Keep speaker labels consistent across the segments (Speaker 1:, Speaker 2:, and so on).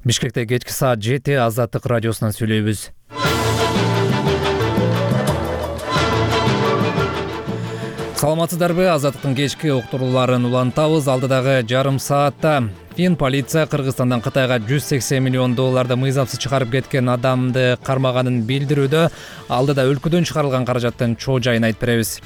Speaker 1: Бишкекте кечки саат 7 Азаттык радиосунан сүйлөйбүз. Саламатсыздарбы? Азаттыктын кечки уктурууларын улантабыз. Алдыдагы жарым саатта полиция Кыргызстандан Кытайга $180 миллион мыйзамсыз чыгарып кеткен адамды кармаганын билдирүүдө. Алдыда өлкөдөн чыгарылган каражаттын чоо жайын айтып беребиз.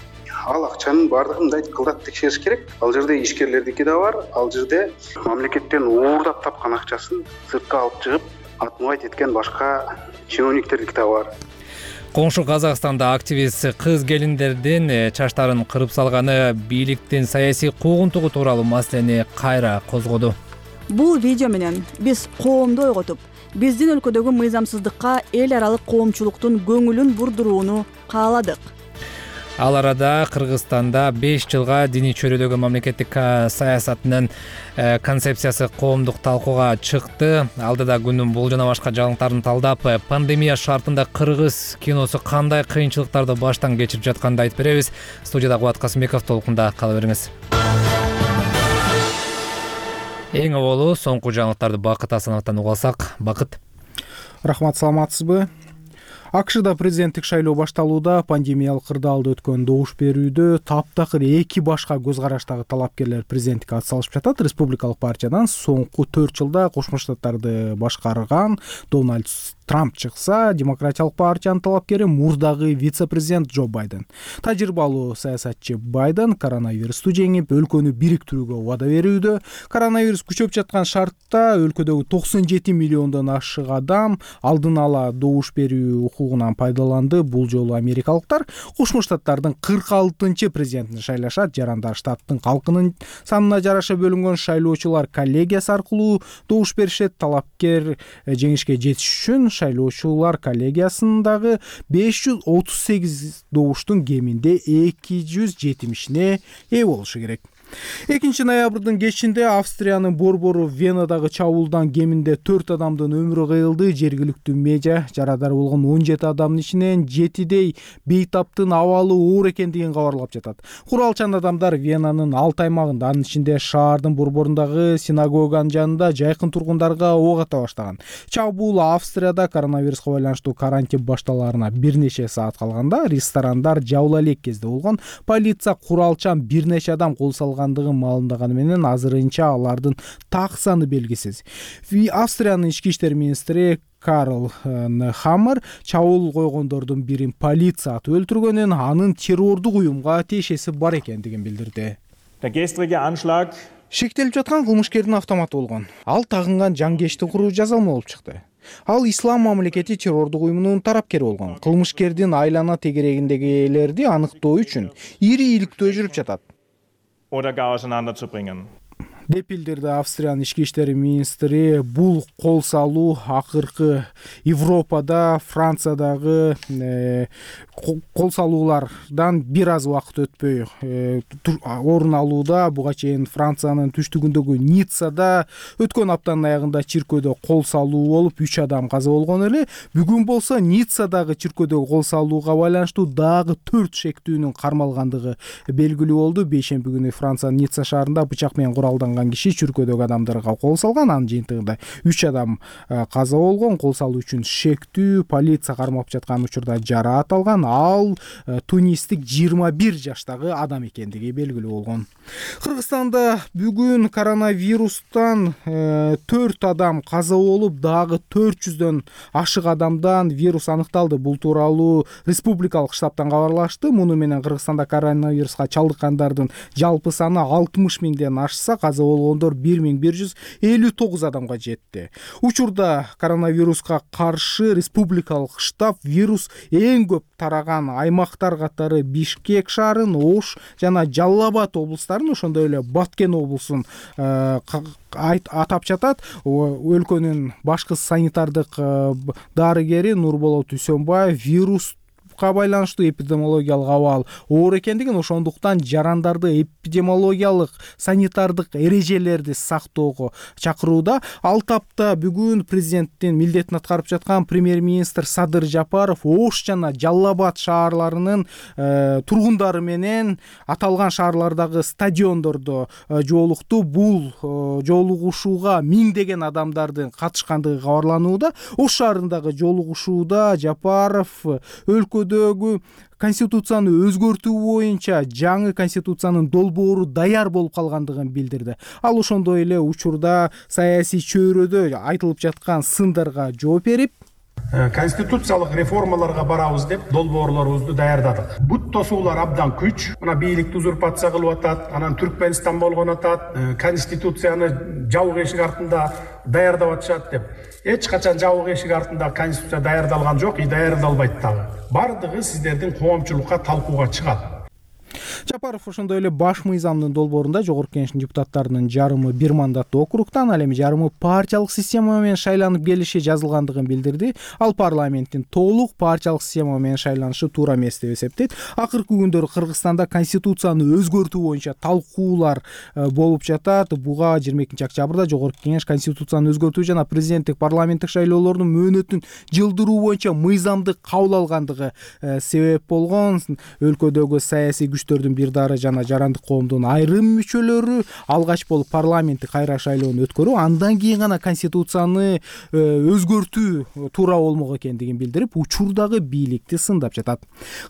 Speaker 2: Ал акчанын баардыгын мындай кылдат текшериш керек. Ал жерде ишкерлердики да бар. Ал жерде мамлекеттен уурдап тапкан акчасын сыртка алып чыгып, атмубайт эткен башка чиновниктердики да бар.
Speaker 1: Коңшу Казакстанда активист кыз келиндердин чачтарын кырып салганы бийликтин саясий куугунтугу тууралуу маселени кайра козгоду.
Speaker 3: Бул видео менен биз коомду ойготуп, биздин өлкөдөгү мыйзамсыздыкка эл аралык коомчулуктун көңүлүн бурдурууну кааладык.
Speaker 1: Ал арада Кыргызстанда 5 жылга диний чөйрөдөгү мамлекеттик саясатынын концепциясы коомдук талкууга чыкты. Алдыда күнүн бул жана башка жаңылыктарын талдап, пандемия шартында кыргыз киносу кандай кыйынчылыктарды баштан кечирип жатканын айтып беребиз. Студияда Кубат Касымбеков, толкунда кала бериңиз. Эң авалу соңку жаңылыктарды Бакыт Асановдон угуп алсак. Бакыт.
Speaker 4: Рахмат, саламатсызбы? АКШда президенттик шайлоо башталууда. Пандемиялык кырдаалда өткөн добуш берүүдө таптакыр 2 башка көз караштагы талапкерлер президенттикке ат салышып жатат. Республикалык партиядан соңку 4 жылда Кошмо Штаттарды башкарган Дональд Трамп чыкса, Демократиялык партиянын талапкери мурдагы вице-президент Джо Байден. Тажрыйбалуу саясатчы Байден коронавирусту жеңип, өлкөнү бириктирүүгө убада берүүдө. Коронавирус күчөп жаткан шартта өлкөдөгү 97 миллиондон ашык адам алдын ала добуш берүү укугунан пайдаланды. Бул жолу америкалыктар Кошмо Штаттардын 46-чы президентин шайлашат. Жарандар штаттын калкынын санына жараша бөлүнгөн шайлоочулар коллегиясы аркылуу добуш беришет. Талапкер жеңишке жетиш үчүн шайлоочулар коллегиясындагы 538 добуштун кеминде 270-ине ээ болушу керек. 2 ноябрдын кечинде Австриянын борбору Венадагы чабуулдан кеминде 4 адамдын өмүрү кыйылды. Жергиликтүү медиа жарадар болгон 17 адамдын ичинен 7дей бейтаптын абалы оор экендигин кабарлап жатат. Куралчан адамдар Венанын 6 аймагында, анын ичинде шаардын борборундагы синагоганын жанында жайкын тургундарга ок ата баштаган. Чабуул Австрияда коронавируска байланыштуу карантин башталаарына бир нече саат калганда ресторандар жабыла элек кезде болгон. Полиция куралчан бир нече адам кол салгандыгын маалымдаганы менен азырынча алардын так саны белгисиз. Австриянын ички иштер министри Карл Хаммер чабуул койгондордун бирин полиция атып өлтүргөнүн, анын террордук уюмга тиешеси бар экендигин билдирди. Шектелип жаткан кылмышкердин автоматы болгон. Ал тагынган жангечтик куруу жазалма болуп чыкты. Ал ислам мамлекети террордук уюмунун тарапкери болгон. Кылмышкердин айлана тегерегиндегилерди аныктоо үчүн ири иликтөө жүрүп жатат деп билдирди Австриянын ички иштер министри. Бул кол салуу акыркы Европада, Франциядагы кол салуулардан бир аз убакыт өтпөй орун алууда. Буга чейин Франциянын түштүгүндөгү Ниццада өткөн аптанын аягында чиркөөдө кол салуу болуп 3 адам каза болгон эле. Бүгүн болсо Ниццадагы чиркөөдөгү кол салууга байланыштуу дагы 4 шектүүнүн кармалгандыгы белгилүү болду. Бейшемби күнү Франциянын Ницца шаарында бычак менен куралданган киши чиркөөдөгү адамдарга кол салган. Анын жыйынтыгында 3 адам каза болгон. Кол салуу үчүн шектүү полиция кармап жаткан учурда жараат алган. Ал тунистик 21 жаштагы адам экендиги белгилүү болгон. Кыргызстанда бүгүн коронавирустан 4 адам каза болуп, дагы 400дөн ашык адамдан вирус аныкталды. Бул тууралуу республикалык штабтан кабарлашты. Муну менен Кыргызстанда коронавируска чалдыккандардын жалпы саны 60 миңден ашса, каза болгондор 1159 адамга жетти. Учурда коронавируска каршы республикалык штаб вирус эң көп тараган аймактар катары Бишкек шаарын, Ош жана Жалал Абад облустарын, ошондой эле Баткен облусун атап жатат. Өлкөнүн башкы санитардык дарыгери Нурболот Үсөнбаев вирус коронавируска байланыштуу эпидемиологиялык абал оор экендигин, ошондуктан жарандарды эпидемиологиялык санитардык эрежелерди сактоого чакырууда. Ал тапта бүгүн президенттин милдетин аткарып жаткан премьер-министр Садыр Жапаров Ош жана Жалал Абад шаарларынын тургундары менен аталган шаарлардагы стадиондордо жолукту. Бул жолугушууга миңдеген адамдардын катышкандыгы кабарланууда. Ош шаарындагы жолугушууда Жапаров өлкөдөгү конституцияны өзгөртүү боюнча жаңы конституциянын долбоору даяр болуп калгандыгын билдирди. Ал ошондой эле учурда саясий чөйрөдө айтылып жаткан сындарга жооп берип,
Speaker 5: конституциялык реформаларга барабыз деп долбоорлорубузду даярдадык. Бут тосуулар абдан күч. Мына бийликти узурпация кылып атат, анан Түркмөнстан болгон атат, конституцияны жабык эшик артында даярдап атышат деп. Эч качан жабык эшик артында конституция даярдалган жок, даярдалбайт дагы. Бардыгы сиздердин коомчулукка талкууга чыгат.
Speaker 4: Жапаров ошондой эле баш мыйзамдын долбоорунда жогорку кеңештин депутаттарынын жарымы бир мандаттуу округтан, ал эми жарымы партиялык система менен шайланып келиши жазылгандыгын билдирди. Ал парламенттин толук партиялык система менен шайланышы туура эмес деп эсептейт. Акыркы күндөрү Кыргызстанда конституцияны өзгөртүү боюнча талкуулар болуп жатат. Буга 22-октябрда жогорку кеңеш конституцияны өзгөртүү жана президенттик парламенттик шайлоолордун мөөнөтүн жылдыруу боюнча мыйзамды кабыл алгандыгы себеп болгон. Өлкөдөгү саясий күчтөрдүн бир дары жана жарандык коомдун айрым мүчөлөрү алгач болуп парламенттик кайра шайлоону өткөрүү, андан кийин гана конституцияны өзгөртүү туура болмок экендигин билдирип, учурдагы бийликти сындап жатат.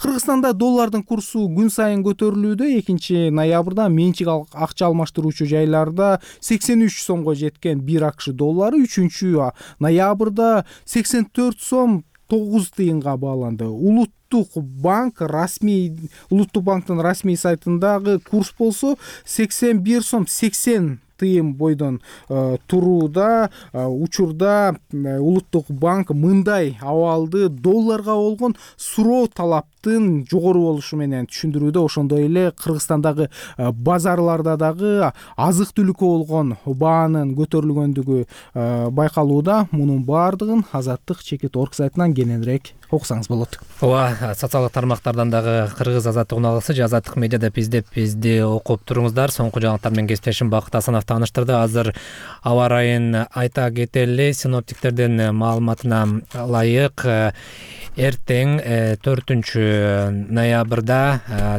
Speaker 4: Кыргызстанда доллардын курсу күн сайын көтөрүлүүдө. 2-ноябрда менчик акча алмаштыруучу жайларда 83 сомго жеткен 1 АКШ доллары 3-ноябрда 84 сом 9 тыйынга бааланды. Улуттук банктын расмий сайтындагы курс болсо 81 сом 80 тыйын бойдон турууда. Учурда Улуттук банк мындай абалды долларга болгон суроо талаптын жогору болушу менен түшүндүрүүдө. Ошондой эле Кыргызстандагы базарларда дагы азык түлүккө болгон баанын көтөрүлгөндүгү байкалууда. Мунун баардыгын Азаттык Чекит.org сайтынан кененирээк окусаңыз болот.
Speaker 1: Ооба, социалдык тармактардан дагы Кыргыз Азаттык уналысы же Азаттык медиа деп издеп бизди окуп туруңуздар. Соңку жаңылыктар менен кесиптешим Бакыт Асанов тааныштырды. Азыр аба ырайын айта кетели. Синоптиктердин маалыматына ылайык эртең 4-ноябрда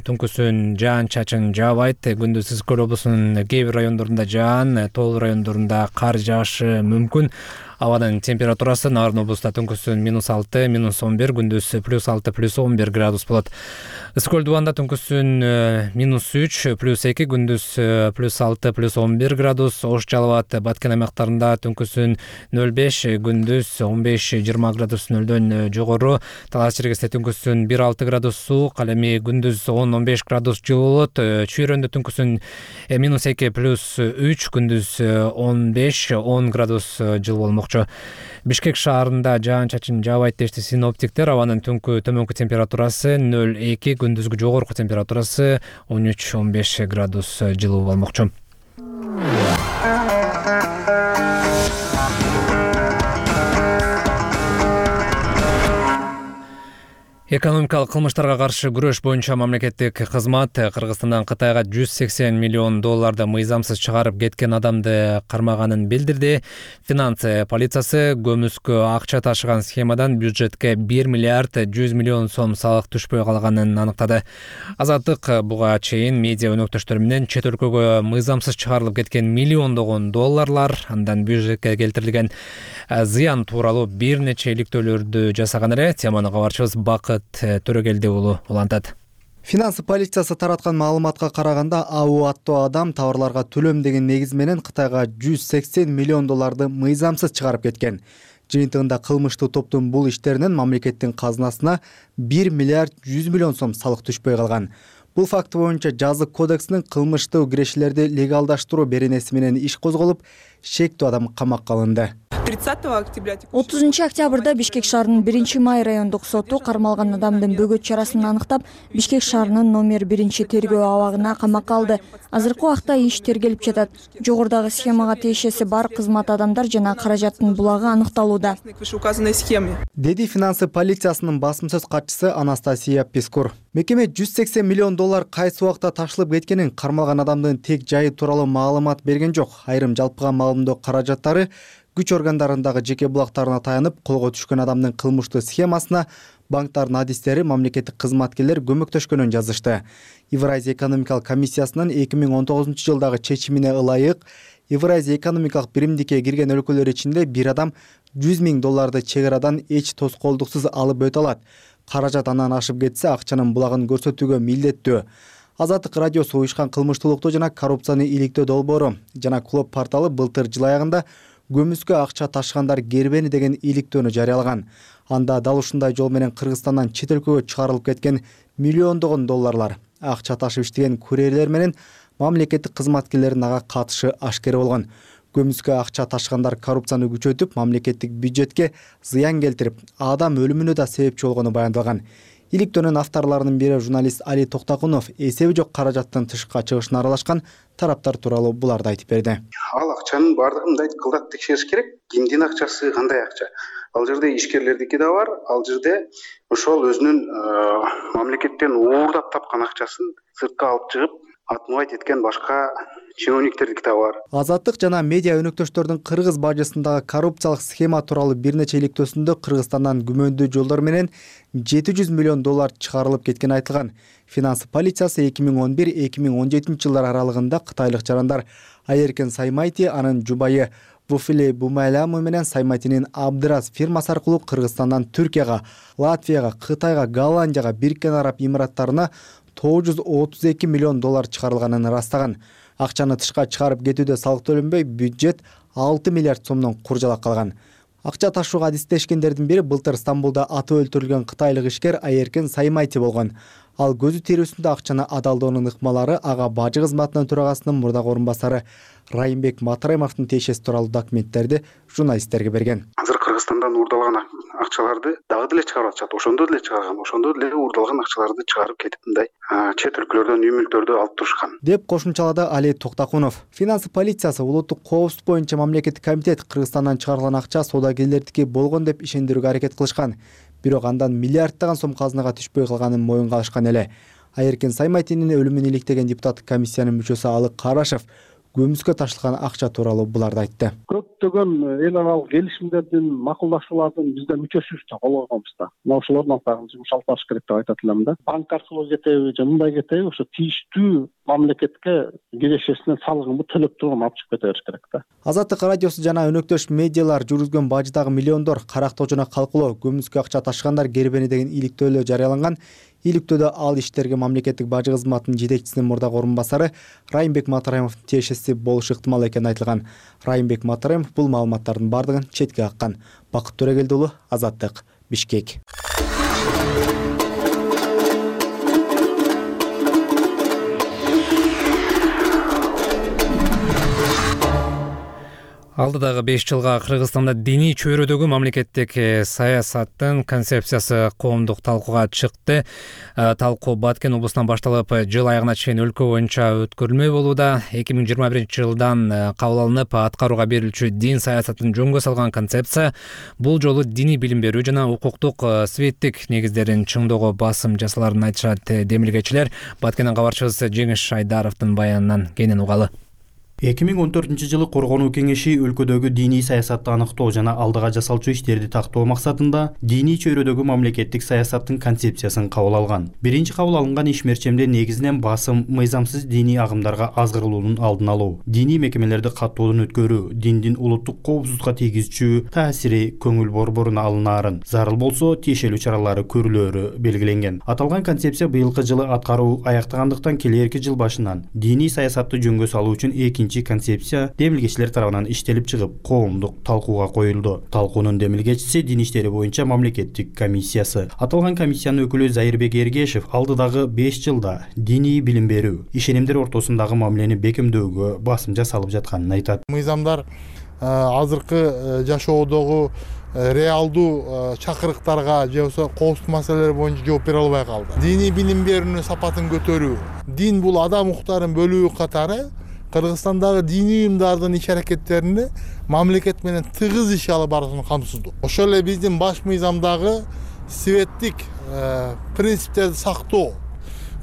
Speaker 1: түнкүсүн жаан-чачын жаабайт. Күндүз Ысык-Көл облусунун кээ бир райондорунда жаан, тоол райондорунда кар жаашы мүмкүн. Абанын температурасы Нарын облустта түнкүсүн -6, -11, күндүз +6, +11 градус болот. Ысык-Көл дубанда түнкүсүн -3, +2, күндүз +6, +11 градус. Ош Жалал Абад Баткен аймактарында түнкүсүн 0,5, күндүз 15-20 градус нөлдөн жогору. Талас Черкесте түнкүсүн 1,6 градус суук, ал эми күндүз 10-15 градус жылуу болот. Чүйрөндө түнкүсүн -2, +3, күндүз 15-10 градус жылуу болмок. Бишкек шаарында жаан-чачын жаабайт дешти синоптиктер. Абанын түнкү төмөнкү температурасы 0,2, күндүзгү жогорку температурасы 13-15 градус жылуу болмокчу. Экономикалык кылмыштарга каршы күрөш боюнча мамлекеттик кызмат Кыргызстандан Кытайга 180 миллион долларды мыйзамсыз чыгарып кеткен адамды кармаганын билдирди. Финансы полициясы көмүскө акча ташыган схемадан бюджетке 1 миллиард 100 миллион сом салык түшпөй калганын аныктады. Азаттык буга чейин медиа өнөктөштөр менен чет өлкөгө мыйзамсыз чыгарылып кеткен миллиондогон долларлар, андан бюджетке келтирилген зыян тууралуу бир нече иликтөөлөрдү жасаган эле. Теманы кабарчыбыз Бакыт Төрөгелди уулу улантат.
Speaker 6: Финансы полициясы тараткан маалыматка караганда, АУ аттуу адам товарларга төлөм деген негиз менен Кытайга 180 миллион долларды мыйзамсыз чыгарып кеткен. Жыйынтыгында кылмыштуу топтун бул иштеринен мамлекеттин казынасына 1 миллиард 100 миллион сом салык түшпөй калган. Бул факт боюнча жазык кодексинин кылмыштуу кирешилерди легалдаштыруу беренеси менен иш козголуп, шектүү адам камакка алынды.
Speaker 7: 30 октября
Speaker 3: 30 октябрда Бишкек шаарынын 1-Май райондук соту кармалган адамдын бөгөт чарасын аныктап, Бишкек шаарынын номер 1-тергөө абагына камакка алды. Азыркы убакта иш тергелип жатат. Жогорудагы схемага тиешеси бар кызмат адамдар жана каражаттын булагы аныкталууда,
Speaker 6: деди финансы полициясынын басым сөз катчысы Анастасия Пескур. Мекеме $180 миллион кайсы убакта ташылып кеткенин, кармалган адамдын тек жайы тууралуу маалымат берген жок. Айрым жалпыга маалымдоо каражаттары күч органдарындагы жеке булактарына таянып, колго түшкөн адамдын кылмыштуу схемасына банктардын адистери, мамлекеттик кызматкерлер көмөктөшкөнүн жазышты. Евразия экономикалык комиссиясынын 2019 жылдагы чечимине ылайык Евразия экономикалык биримдикке кирген өлкөлөр ичинде бир адам $100 миң чек арадан эч тоскоолдуксуз алып өтө алат. Каражат андан ашып кетсе, акчанын булагын көрсөтүүгө милдеттүү. Азаттык радиосу уюшкан кылмыштуулукту жана коррупцияны иликтөө долбоору жана Клоп порталы былтыр жыл аягында көмүскө акча ташыгандар кербени деген иликтөөнү жарыялаган. Анда дал ушундай жол менен Кыргызстандан чет өлкөгө чыгарылып кеткен миллиондогон долларлар акча ташып иштеген курьерлер менен мамлекеттик кызматкерлердин ага катышы ашкер болгон. Көмүскө акча ташыгандар коррупцияны күчөтүп, мамлекеттик бюджетке зыян келтирип, адам өлүмүнө да себепчи болгону баяндалган. Иликтөөнүн авторлорунун бири журналист Али Токтакунов эсеби жок каражаттын тышка чыгышына аралашкан тараптар тууралуу буларды айтып берди.
Speaker 2: Ал акчанын баардыгын мындай кылдат текшериш керек. Кимдин акчасы, кандай акча? Ал жерде ишкерлердики да бар, ал жерде ошол өзүнүн мамлекеттен уурдап тапкан акчасын сыртка алып чыгып, атмубайт эткен башка чиновниктердики да бар.
Speaker 6: Азаттык жана медиа өнөктөштөрдүн Кыргыз бажысындагы коррупциялык схема тууралуу бир нече иликтөөсүндө Кыргызстандан күмөндүү жолдор менен $700 миллион чыгарылып кеткени айтылган. Финансы полициясы 2011-2017 жылдар аралыгында кытайлык жарандар Айеркен Саймайти, анын жубайы Буфиле Бумайламы менен Саймайтинин Абдырас фирмасы аркылуу Кыргызстандан Түркияга, Латвияга, Кытайга, Голландияга, Бириккен Араб Эмираттарына $932 миллион чыгарылганын ырастаган. Акчаны тышка чыгарып кетүүдө салык төлөнбөй, бюджет 6 миллиард сомдон куржалак калган. Акча ташууга адистешкендердин бири былтыр Стамбулда атып өлтүрүлгөн кытайлык ишкер Айеркен Саймайти болгон. Ал көзү тирүүсүндө акчаны адалдоонун ыкмалары ага бажы кызматынын төрагасынын мурдагы орун басары Райымбек Матраимовдун тиешеси тууралуу документтерди журналисттерге берген.
Speaker 2: Азыр Кыргызстандан уурдалган акчаларды дагы деле чыгарып атышат. Ошондо деле чыгарган, ошондо деле уурдалган акчаларды чыгарып кетип мындай чет өлкөлөрдөн үй мүлктөрдү алып турушкан,
Speaker 6: деп кошумчалады Али Токтакунов. Финансы полициясы улуттук коопсуздук боюнча мамлекеттик комитет Кыргызстандан чыгарылган акча соодагерлердики болгон деп ишендирүүгө аракет кылышкан. Бирок андан миллиарддаган сом казынага түшпөй калганын моюнга алышкан эле. Айеркен Саймайтинин өлүмүн иликтеген депутаттык комиссиянын мүчөсү Алык Карашев көмүскө ташылган акча тууралуу буларды айтты.
Speaker 8: Көптөгөн эл аралык келишимдердин, макулдашуулардын бизде мүчөсүбүз да, кол койгонбуз да. Мына ошолордун артынан жумуш алып барыш керек деп айтат элем да. Банк аркылуу кетеби же мындай кетеби, ошо тийиштүү мамлекетке кирешесинен салыгын төлөп турган алып чыгып кете бериш керек да.
Speaker 6: Азаттык радиосу жана өнөктөш медиалар жүргүзгөн бажыдагы миллиондор карактоо жана калкулоо көмүскө акча ташыгандар кербени деген иликтөөлөр жарыяланган. Иликтөөдө ал иштерге мамлекеттик бажы кызматынын жетекчисинин мурдагы орун басары Райымбек Матраимовдун тиешеси болушу ыктымал экени айтылган. Райымбек Матраимов бул маалыматтардын бардыгын четке каккан. Бакыт Төрөгелди уулу, Азаттык, Бишкек.
Speaker 1: Алдыдагы 5 жылга Кыргызстанда диний чөйрөдөгү мамлекеттик саясаттын концепциясы коомдук талкууга чыкты. Талкуу Баткен облусунан башталып, жыл аягына чейин өлкө боюнча өткөрүлмөй болууда. 2021 жылдан кабыл алынып, аткарууга берилчү дин саясатын жөнгө салган концепция бул жолу диний билим берүү жана укуктук светтик негиздерин чыңдоого басым жасаларын айтышат демилгечилер. Баткенден кабарчыбыз Жеңиш Айдаровдун баянынан кенен угалы.
Speaker 9: 2014 жылы Коргонуу кеңеши өлкөдөгү диний саясатты аныктоо жана алдыга жасалчу иштерди тактоо максатында диний чөйрөдөгү мамлекеттик саясаттын концепциясын кабыл алган. Биринчи кабыл алынган ишмерчемде негизинен басым мыйзамсыз диний агымдарга азгырылуунун алдын алуу, диний мекемелерди каттоодон өткөрүү, диндин улуттук коопсуздукка тийгизчү таасири көңүл борборуна алынаарын, зарыл болсо тиешелүү чаралары көрүлөөрү белгиленген. Аталган концепция быйылкы жылы аткаруу аяктагандыктан келерки жыл башынан диний саясатты жөнгө салуу үчүн концепция демилгечилер тарабынан иштелип чыгып, коомдук талкууга коюлду. Талкуунун демилгечиси дин иштери боюнча мамлекеттик комиссиясы. Аталган комиссиянын өкүлү Зайырбек Эргешев алдыдагы 5 жылда диний билим берүү, ишенимдер ортосундагы мамилени бекемдөөгө басым жасалып жатканын айтат.
Speaker 10: Мыйзамдар
Speaker 7: азыркы жашоодогу реалдуу чакырыктарга же болбосо коопсуздук маселелери боюнча жооп бере албай калды. Диний билим берүүнүн сапатын көтөрүү, дин бул адам укуктарынын бөлүгү катары Кыргызстандагы диний уюмдардын иш-аракеттерине мамлекет менен тыгыз иш алып баруусун камсыздоо. Ошол эле биздин баш мыйзамдагы светтик принциптерди сактоо.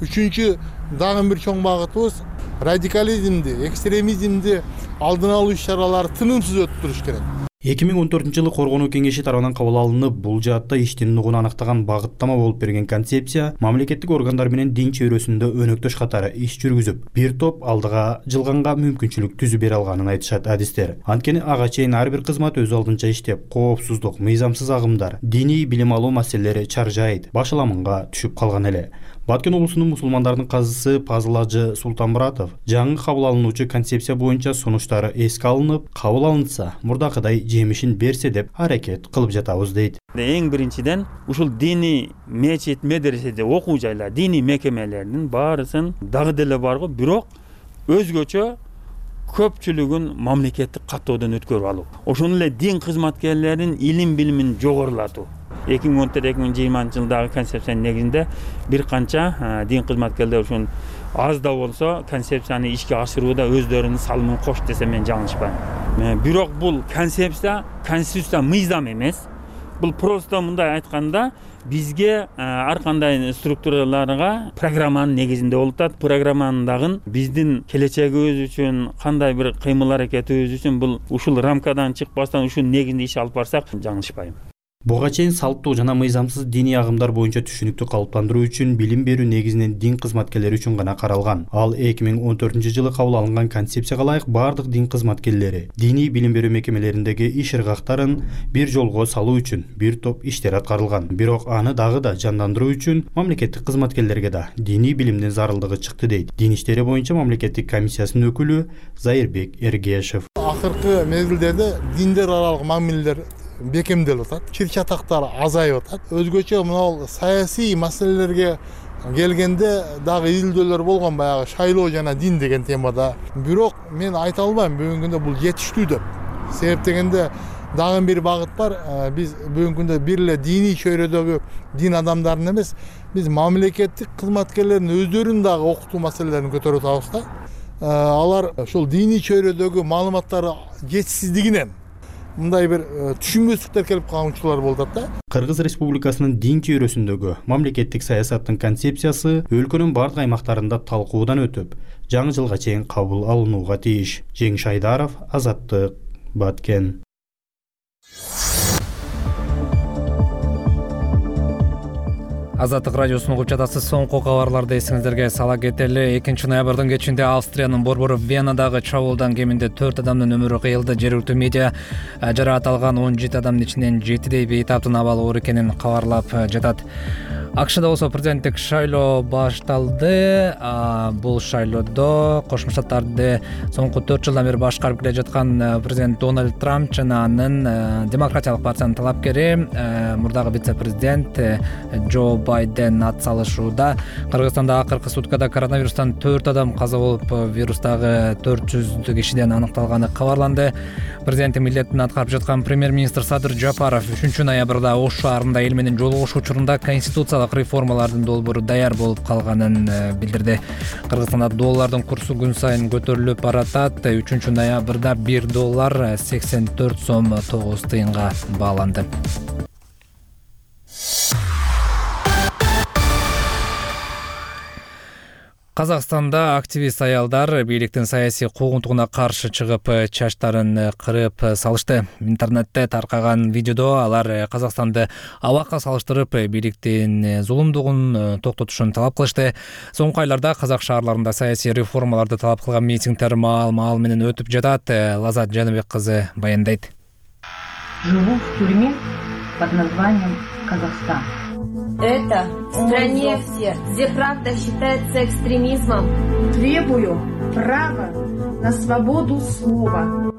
Speaker 7: Үчүнчү дагы бир чоң багытыбыз радикализмди, экстремизмди алдын алуу иш-чаралары тынымсыз өтүп туруш керек.
Speaker 9: 2014-жылы Коргонуу кеңеши тарабынан кабыл алынып, бул жаатта иштин нугун аныктаган багыттама болуп берген концепция мамлекеттик органдар менен дин чөйрөсүндө өнөктөш катары иш жүргүзүп, бир топ алдыга жылганга мүмкүнчүлүк түзүп бере алганын айтышат адистер. Анткени ага чейин ар бир кызмат өз алдынча иштеп, коопсуздук, мыйзамсыз агымдар, диний билим алуу маселелери чаржайт, башаламынга түшүп калган эле. Баткен облусунун мусулмандардын казысы Пазыл Ажы Султанмуратов жаңы кабыл алынуучу концепция боюнча сунуштары эске алынып, кабыл алынса, мурдакыдай жемишин берсе деп аракет кылып жатабыз дейт.
Speaker 10: Эң биринчиден ушул диний мечит, медреседе окуу жайлар, диний мекемелердин баарысын дагы деле барго, бирок өзгөчө көпчүлүгүн мамлекеттик каттоодон өткөрүп алуу. Ошону эле дин кызматкерлеринин илим билимин жогорулатуу. 2014-2020 жылдагы концепциянын негизинде бир канча дин кызматкерлери ушун аз да болсо концепцияны ишке ашырууда өздөрүнүн салымын кошт десем мен жаңылышпайм. Бирок бул концепция мыйзам эмес. Бул просто мындай айтканда бизге ар кандай структураларга программанын негизинде болуп атат. Программанын дагы биздин келечегибиз үчүн кандай бир кыймыл аракетибиз үчүн бул ушул рамкадан чыкпастан ушул негизинде иш алып барсак жаңылышпайм.
Speaker 9: Буга чейин салттуу жана мыйзамсыз диний агымдар боюнча түшүнүктү калыптандыруу үчүн билим берүү негизинен дин кызматкерлери үчүн гана каралган. Ал 2014-жылы кабыл алынган концепцияга ылайык бардык дин кызматкерлери диний билим берүү мекемелериндеги иш ыргактарын бир жолго салуу үчүн бир топ иштер аткарылган. Бирок аны дагы да жандандыруу үчүн мамлекеттик кызматкерлерге да диний билимдин зарылдыгы чыкты дейт дин иштери боюнча мамлекеттик комиссиясынын өкүлү Зайырбек Эргешев.
Speaker 7: Акыркы мезгилдерде диндер аралык мамилелер бекемделип атат, чыр-чатактар азайып атат. Өзгөчө мына саясий маселелерге келгенде дагы изилдөөлөр болгон, баягы шайлоо жана дин деген темада. Бирок мен айта албайм бүгүнкү күндө бул жетиштүү деп. Себеп дегенде дагы бир багыт бар. Биз бүгүнкү күндө бир эле диний чөйрөдөгү дин адамдарын эмес, биз мамлекеттик кызматкерлердин өздөрүн дагы окутуу маселелерин көтөрүп атабыз да. Алар ошол диний чөйрөдөгү маалыматтары жетишсиздигинен мындай бир түшүнбөстүктөр келип калган учурлар болуп атат да.
Speaker 9: Кыргыз Республикасынын дин чөйрөсүндөгү мамлекеттик саясаттын концепциясы өлкөнүн бардык аймактарында талкуудан өтүп, жаңы жылга чейин кабыл алынууга тийиш. Жеңиш Айдаров, Азаттык, Баткен.
Speaker 1: Азаттык радиосун угуп жатасыз. Соңку кабарларды эсиңиздерге сала кетели. 2-ноябрдын кечинде Австриянын борбору Венадагы чабуулдан кеминде 4 адамдын өмүрү кыйылды. Жергиликтүү медиа жараат алган 17 адамдын ичинен 7 бейтаптын абалы оор экенин кабарлап жатат. АКШда болсо президенттик шайлоо башталды. Бул шайлоодо Кошмо Штаттарды соңку 4 жылдан бери башкарып келе жаткан президент Дональд Трамп жана анын демократиялык партиянын талапкери мурдагы вице-президент Джо Байден ат салышууда. Кыргызстанда акыркы суткада коронавирустан 4 адам каза болуп, вирустагы 400 кишиден аныкталганы кабарланды. Президенттин милдетин аткарып жаткан премьер-министр Садыр Жапаров 3-ноябрда Ош шаарында эл менен жолугушуу учурунда конституциялык реформалардын долбоору даяр болуп калганын билдирди. Кыргызстанда доллардын курсу күн сайын көтөрүлүп баратат. 3-ноябрда $1 84 сом 9 тыйынга бааланды. Казакстанда активист аялдар бийликтин саясий куугунтугуна каршы чыгып, чачтарын кырып салышты. Интернетте таркаган видеодо алар Казакстанды абакка салыштырып, бийликтин зулумдугун токтотушун талап кылышты. Соңку айларда казак шаарларында саясий реформаларды талап кылган митингдер маал менен өтүп жатат. Лазат Жаныбек кызы баяндайт.
Speaker 11: Живу в тюрьме под названием Казахстан.
Speaker 12: Это в стране, где правда считается экстремизмом.
Speaker 11: Требую права на свободу слова.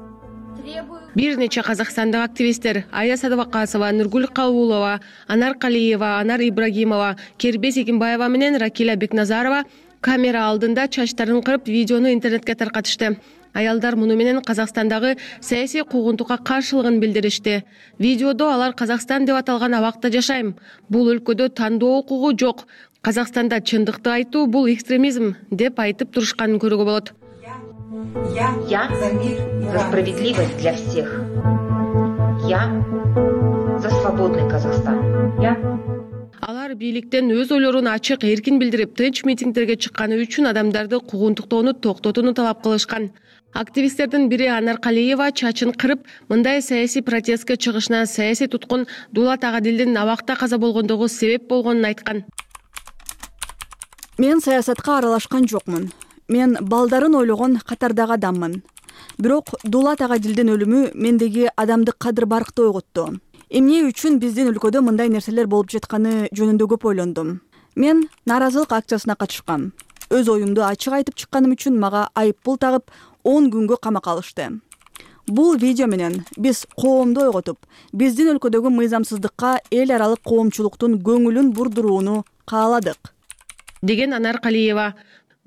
Speaker 13: Бир нече казакстандык активисттер Ая Садыбакасова, Нургүл Кабулова, Анар Калиева, Анар Ибрагимова, Кербес Экимбаева менен Ракиля Бекназарова камера алдында чачтарын кырып, видеону интернетке таркатышты. Аялдар муну менен Казакстандагы саясий куугунтукка каршылыгын билдиришти. Видеодо алар Казакстан деп аталган абакта жашайм. Бул өлкөдө тандоо укугу жок. Казакстанда чындыкты айтуу бул экстремизм деп айтып турушканын көрүүгө болот.
Speaker 14: Я за мир, за справедливость для всех. Я за свободный Казахстан.
Speaker 13: Алар бийликтен өз ойлорун ачык эркин билдирип, тынч митингдерге чыкканы үчүн адамдарды куугунтуктоону токтотууну талап кылышкан. Активисттердин бири Анар Калиева чачын кырып, мындай саясий протестке чыгышына саясий туткун Дулат Агадилдин абакта каза болгондугу себеп болгонун айткан.
Speaker 15: Мен саясатка аралашкан жокмун. Мен балдарын ойлогон катардагы адаммын. Бирок Дулат Агадилдин өлүмү мендеги адамдык кадыр-баркты ойготту. Эмне үчүн биздин өлкөдө мындай нерселер болуп жатканы жөнүндө көп ойлондум. Мен нааразылык акциясына катышкам. Өз оюмду ачык айтып чыкканым үчүн мага айып пул тагып 10 күнгө камакка алышты. Бул видео менен биз коомду ойготуп, биздин өлкөдөгү мыйзамсыздыкка эл аралык коомчулуктун көңүлүн бурдурууну кааладык,
Speaker 13: деген Анар Калиева.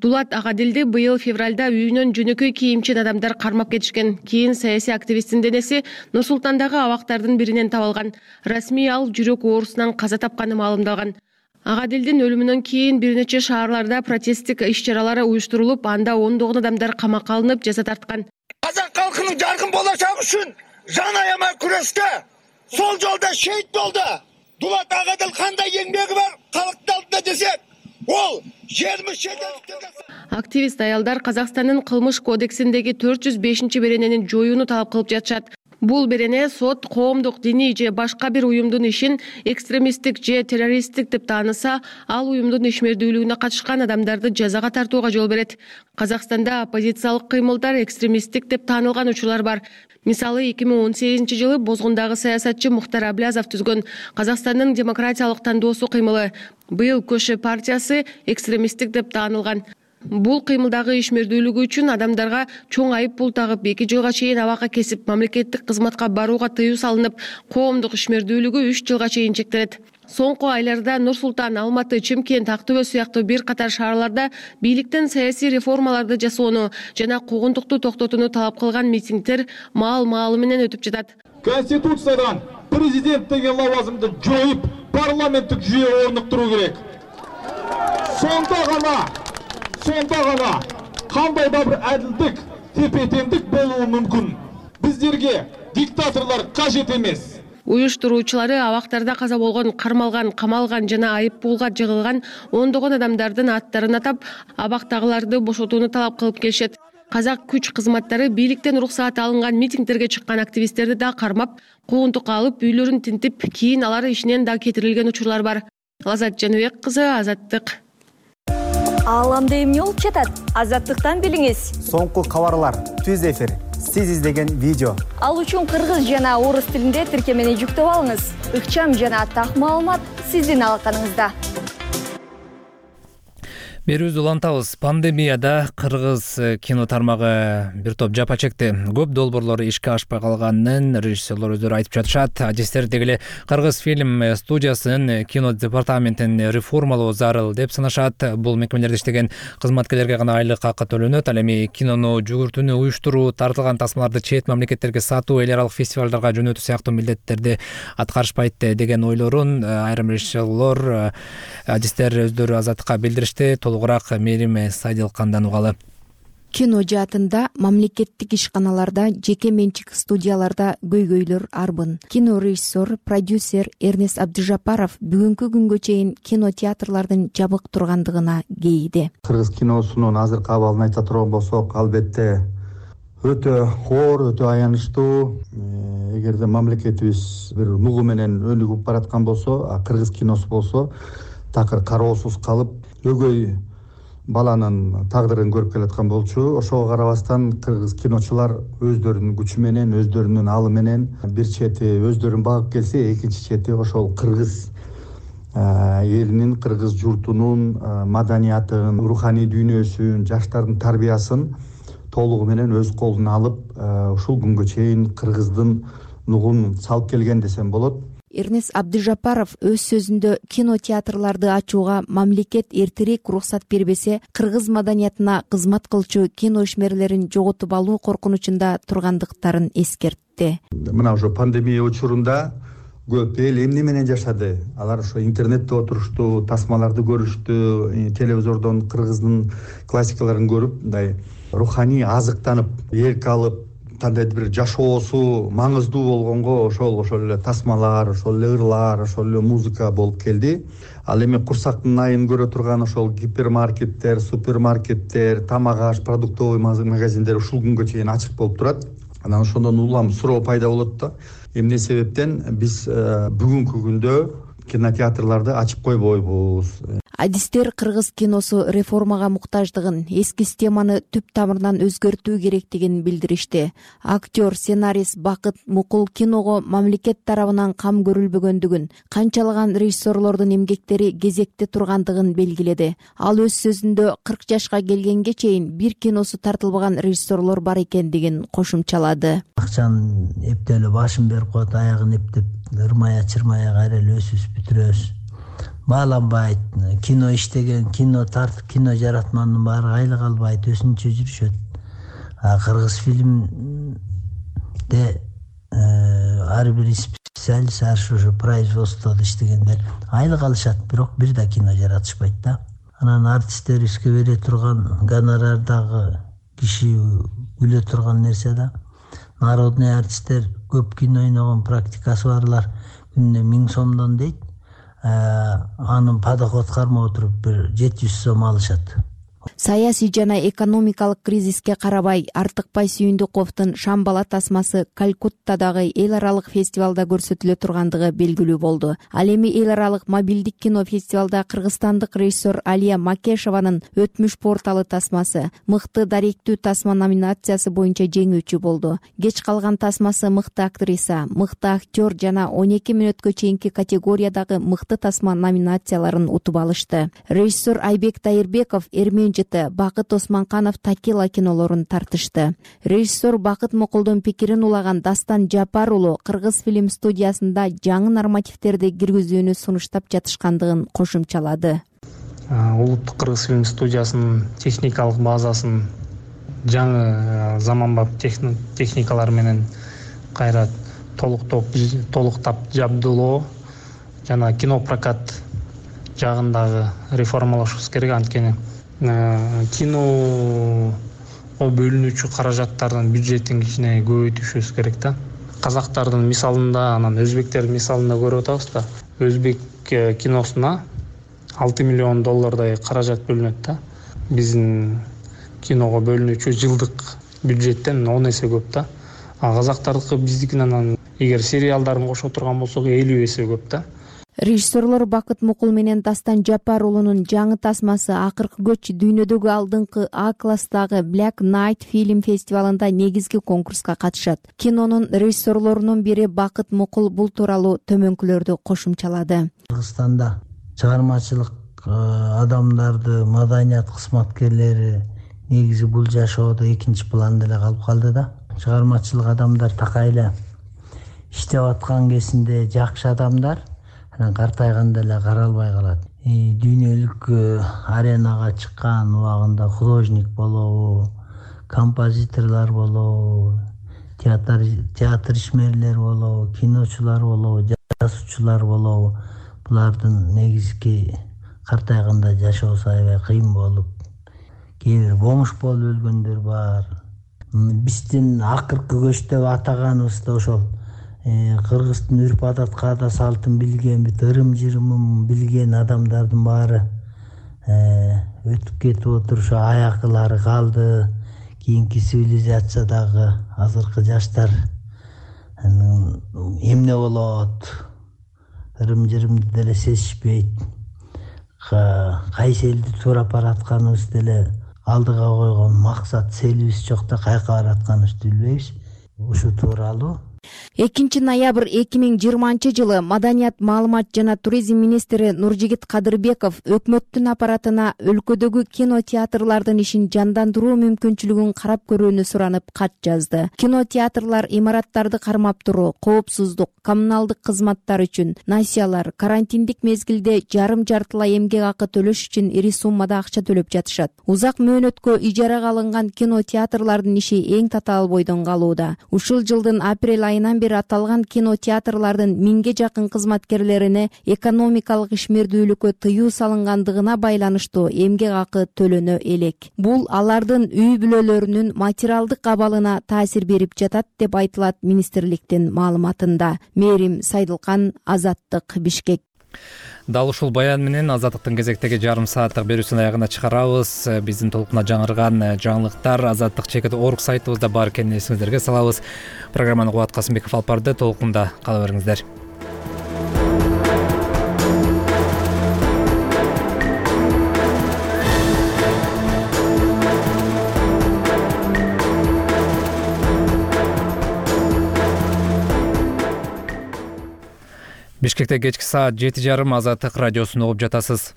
Speaker 13: Дулат Агадилди быйыл февралда үйүнөн жөнөкөй кийимчен адамдар кармап кетишкен. Кийин саясий активисттин денеси Нур Султандагы абактардын биринен табылган. Расмий ал жүрөк оорусунан каза тапканы маалымдалган. Агадилдин өлүмүнөн кийин бир нече шаарларда протесттик иш-чаралары уюштурулуп, анда ондогон адамдар камакка алынып, жаза тарткан.
Speaker 16: Казак калкынын жаркын болочогу үчүн жан аямай күрөштө сол жолдо шейит болду. Дулат Агадил кандай эмгеги бар калктын алдында десек, ол 20 шетелдиктерге.
Speaker 13: Активист аялдар Казакстандын кылмыш кодексиндеги 405-беренени жоюуну талап кылып жатышат. Бул берене сот коомдук, диний же башка бир уюмдун ишин экстремисттик же террористтик деп тааныса, ал уюмдун ишмердүүлүгүнө катышкан адамдарды жазага тартууга жол берет. Казакстанда оппозициялык кыймылдар экстремисттик деп таанылган учурлар бар. Мисалы 2018-жылы Бозгундагы саясатчы Мухтар Аблязов түзгөн Казакстандын демократиялык тандоосу кыймылы быйыл Көшө партиясы экстремисттик деп таанылган. Бул кыймылдагы ишмердүүлүгү үчүн адамдарга чоң айып пул тагып 2 жылга чейин абакка кесип, мамлекеттик кызматка барууга тыюу салынып, коомдук ишмердүүлүгү 3 жылга чейин чектелет. Соңку айларда Нур Султан, Алматы, Чымкент, Ак Төбө сыяктуу бир катар шаарларда бийликтен саясий реформаларды жасоону жана куугунтукту токтотууну талап кылган митингдер маал-маалы менен өтүп жатат.
Speaker 17: Конституциядан президент деген лавазымды жоюп, парламенттик жүйө орнуктуруу керек. Сонда гана кандай да бир адилдик, тепе-теңдик болуу мүмкүн. Биздерге диктаторлор кажет эмес.
Speaker 13: Уюштуруучулары абактарда каза болгон, кармалган, камалган жана айып пулга жыгылган ондогон адамдардын аттарын атап, абактагыларды бошотууну талап кылып келишет. Казак күч кызматтары бийликтен уруксаат алынган митингдерге чыккан активисттерди да кармап, куугунтукка алып, үйлөрүн тинтип, кийин алар ишинен да кетирилген учурлар бар. Лазат Жаныбек кызы, Азаттык.
Speaker 3: Ааламда эмне болуп жатат? Азаттыктан билиңиз.
Speaker 6: Соңку кабарлар, түз эфир, сиз издеген видео.
Speaker 3: Ал үчүн кыргыз жана орус тилинде тиркемени жүктөп алыңыз. Ыкчам жана так маалымат сиздин алаканыңызда.
Speaker 1: Берүүбүздү улантабыз. Пандемияда кыргыз кино тармагы бир топ жапа чекти. Көп долбоорлору ишке ашпай калганын режиссерлор өздөрү айтып жатышат. Адистер дегеле Кыргыз фильм студиясынын кино департаментин реформалоо зарыл деп санашат. Бул мекемелерде иштеген кызматкерлерге гана айлык акы төлөнөт. Ал эми кинону жүгүртүүнү уюштуруу, тартылган тасмаларды чет мамлекеттерге сатуу, эл аралык фестивалдарга жөнөтүү сыяктуу милдеттерди аткарышпайт деген ойлорун айрым режиссерлор, адистер өздөрү Азаттыкка билдиришти. Толугураак Мерим Сайдылкандан угалы.
Speaker 18: Кино жаатында мамлекеттик ишканаларда, жеке менчик студияларда көйгөйлөр арбын. Кино режиссер, продюсер Эрнест Абдыжапаров бүгүнкү күнгө чейин кинотеатрлардын жабык тургандыгына кейиди.
Speaker 19: Кыргыз киносунун азыркы абалын айта турган болсок, албетте өтө оор, өтө аянычтуу. Эгерде мамлекетибиз бир нугу менен өнүгүп бараткан болсо, кыргыз киносу болсо такыр кароосуз калып, өгөй баланын тагдырын көрүп келаткан болчу. Ошого карабастан кыргыз киночулар өздөрүнүн күчү менен, өздөрүнүн алы менен бир чети өздөрүн багып келсе, экинчи чети ошол кыргыз элинин, кыргыз журтунун маданиятын, руханий дүйнөсүн, жаштардын тарбиясын толугу менен өз колуна алып, ушул күнгө чейин кыргыздын нугун салып келген десем болот.
Speaker 18: Эрнест Абдыжапаров өз сөзүндө кинотеатрларды ачууга мамлекет эртерээк уруксат бербесе, кыргыз маданиятына кызмат кылчу кино ишмерлерин жоготуп алуу коркунучунда тургандыктарын эскертти.
Speaker 19: Мына ошо пандемия учурунда көп эл эмне менен жашады? Алар ошо интернетте отурушту, тасмаларды көрүштү, телевизордон кыргыздын классикаларын көрүп, мындай руханий азыктанып, эрк алып, кандайдыр бир жашоосу маңыздуу болгонго ошол эле тасмалар, ошол эле ырлар, ошол эле музыка болуп келди. Ал эми курсактын айын көрө турган ошол гипермаркеттер, супермаркеттер, тамак аш, продуктовый магазиндер ушул күнгө чейин ачык болуп турат. Анан ошондон улам суроо пайда болот да. Эмне себептен биз бүгүнкү күндө кинотеатрларды ачып койбойбуз?
Speaker 18: Адистер кыргыз киносу реформага муктаждыгын, эски системаны түп тамырынан өзгөртүү керектигин билдиришти. Актер, сценарист Бакыт Мукул киного мамлекет тарабынан кам көрүлбөгөндүгүн, канчалаган режиссерлордун эмгектери кезекте тургандыгын белгиледи. Ал өз сөзүндө 40 жашка келгенге чейин бир киносу тартылбаган режиссерлор бар экендигин кошумчалады.
Speaker 20: Акчаны эптеле башын берип коет, аягын эптеп, ырмая-чырмая кайра эле өсүп бүтүрөбүз. Бааланбайт, кино иштеген, кино тартып, кино жаратмандын баары айлык албайт, өзүнчө жүрүшөт. Кыргыз фильмде ар бир специалист ошо производстводо иштегендер айлык алышат, бирок бир да кино жаратышпайт да. Анан артисттерибизге бере турган гонорардагы киши күлө турган нерсе да. Народный артисттер көп кино ойногон практикасы барлар күнүнө 1000 сомдон дейт. Анын подоход кармай отуруп бир 700 сом алышат.
Speaker 18: Саясий жана экономикалык кризиске карабай Артыкбай Сүйүндүковдун Шамбала тасмасы Калкуттадагы эл аралык фестивалда көрсөтүлө тургандыгы белгилүү болду. Ал эми эл аралык мобилдик кино фестивалда кыргызстандык режиссер Алия Макешованын Өтмүш порталы тасмасы мыкты даректүү тасма номинациясы боюнча жеңүүчү болду. Кеч калган тасмасы мыкты актриса, мыкты актер жана 12 мүнөткө чейинки категориядагы мыкты тасма номинацияларын утуп алышты. Режиссер Айбек Тайырбеков Эрмен Бакыт Османканов Такила кинолорун тартышты. Режиссер Бакыт Мукулдун пикирин улаган Дастан Жапар уулу Кыргыз фильм студиясында жаңы нормативтерди киргизүүнү сунуштап жатышкандыгын кошумчалады.
Speaker 21: Улуттук Кыргыз фильм студиясынын техникалык базасын жаңы заманбап техникалар менен кайра толуктап жабдылоо жана кинопрокат жагындагы реформалашыбыз керек. Анткени киного бөлүнүүчү каражаттардын бюджетин кичине көбөйтүшүбүз керек да. Казактардын мисалында, анан өзбектердин мисалында көрүп атабыз да. Өзбек киносуна 6 миллион доллардай каражат бөлүнөт да. Биздин киного бөлүнүүчү жылдык бюджеттен 10 эсе көп да. Казактардыкы биздикинен эгер сериалдарын кошо турган болсок 50 эсе көп да.
Speaker 18: Режиссерлор Бакыт Мукул менен Дастан Жапар уулунун жаңы тасмасы Акыркы көч дүйнөдөгү алдыңкы А класстагы Black Night фильм фестивалында негизги конкурска катышат. Кинонун режиссерлорунун бири Бакыт Мукул бул тууралуу төмөнкүлөрдү кошумчалады.
Speaker 20: Кыргызстанда чыгармачылык адамдарды, маданият кызматкерлери негизи бул жашоодо экинчи планда эле калып калды да. Чыгармачылык адамдар такайлы иштеп аткан кезинде жакшы адамдар картайганда эле каралбай калат. Дүйнөлүк аренага чыккан убагында художник болобу, композиторлор болобу, театр ишмерлери болобу, киночулар болобу, жазуучулар болобу, булардын негизги картайганда жашоосу аябай кыйын болуп, кээ бир бомж болуп өлгөндөр бар. Биздин акыркы көч деп атаганыбыз да ошол кыргыздын үрп адат каада салтын билген, ырым-жырымын билген адамдардын баары өтүп кетип отурушу аякылары калды. Кийинки цивилизациядагы азыркы жаштар эмне болот, ырым-жырымды деле сезишпейт. Кайсы элди туурап баратканыбызды деле алдыга койгон максат целибиз жок да, каяка баратканыбызды билбейбиз. Ушу тууралуу
Speaker 18: 2 ноябрь 2020 Маданият, маалымат жана туризм министри Нуржигит Кадырбеков өкмөттүн аппаратына өлкөдөгү кинотеатрлардын ишин жандандыруу мүмкүнчүлүгүн карап көрүүнү суранып кат жазды. Кинотеатрлар имараттарды кармап туруу, коопсуздук, коммуналдык кызматтар үчүн, насиялар, карантиндик мезгилде жарым-жартылай эмгек акы төлөш үчүн ири суммада акча төлөп жатышат. Узак мөөнөткө ижарага алынган кинотеатрлардын иши эң татаал бойдон калууда. Ушул жылдын апрель айынан бери аталган кинотеатрлардын 1000ге жакын кызматкерлерине экономикалык ишмердүүлүккө тыюу салынгандыгына байланыштуу эмгек акы төлөнө элек. Бул алардын үй бүлөлөрүнүн материалдык абалына таасир берип жатат деп айтылат министрликтин маалыматында. Мээрим Сайдылкан, Азаттык, Бишкек.
Speaker 1: Дал ушул баян менен Азаттыктын кезектеги жарым сааттык берүүсүн аягына чыгарабыз. Биздин толкуна жаңырган жаңылыктар Азаттык.org сайтыбызда бар экенин эсиңиздерге салабыз. Программаны Кубат Касымбеков алып барды. Толкунда кала бериңиздер. Бишкекте кечки саат 7:30 Азаттык радиосун угуп жатасыз.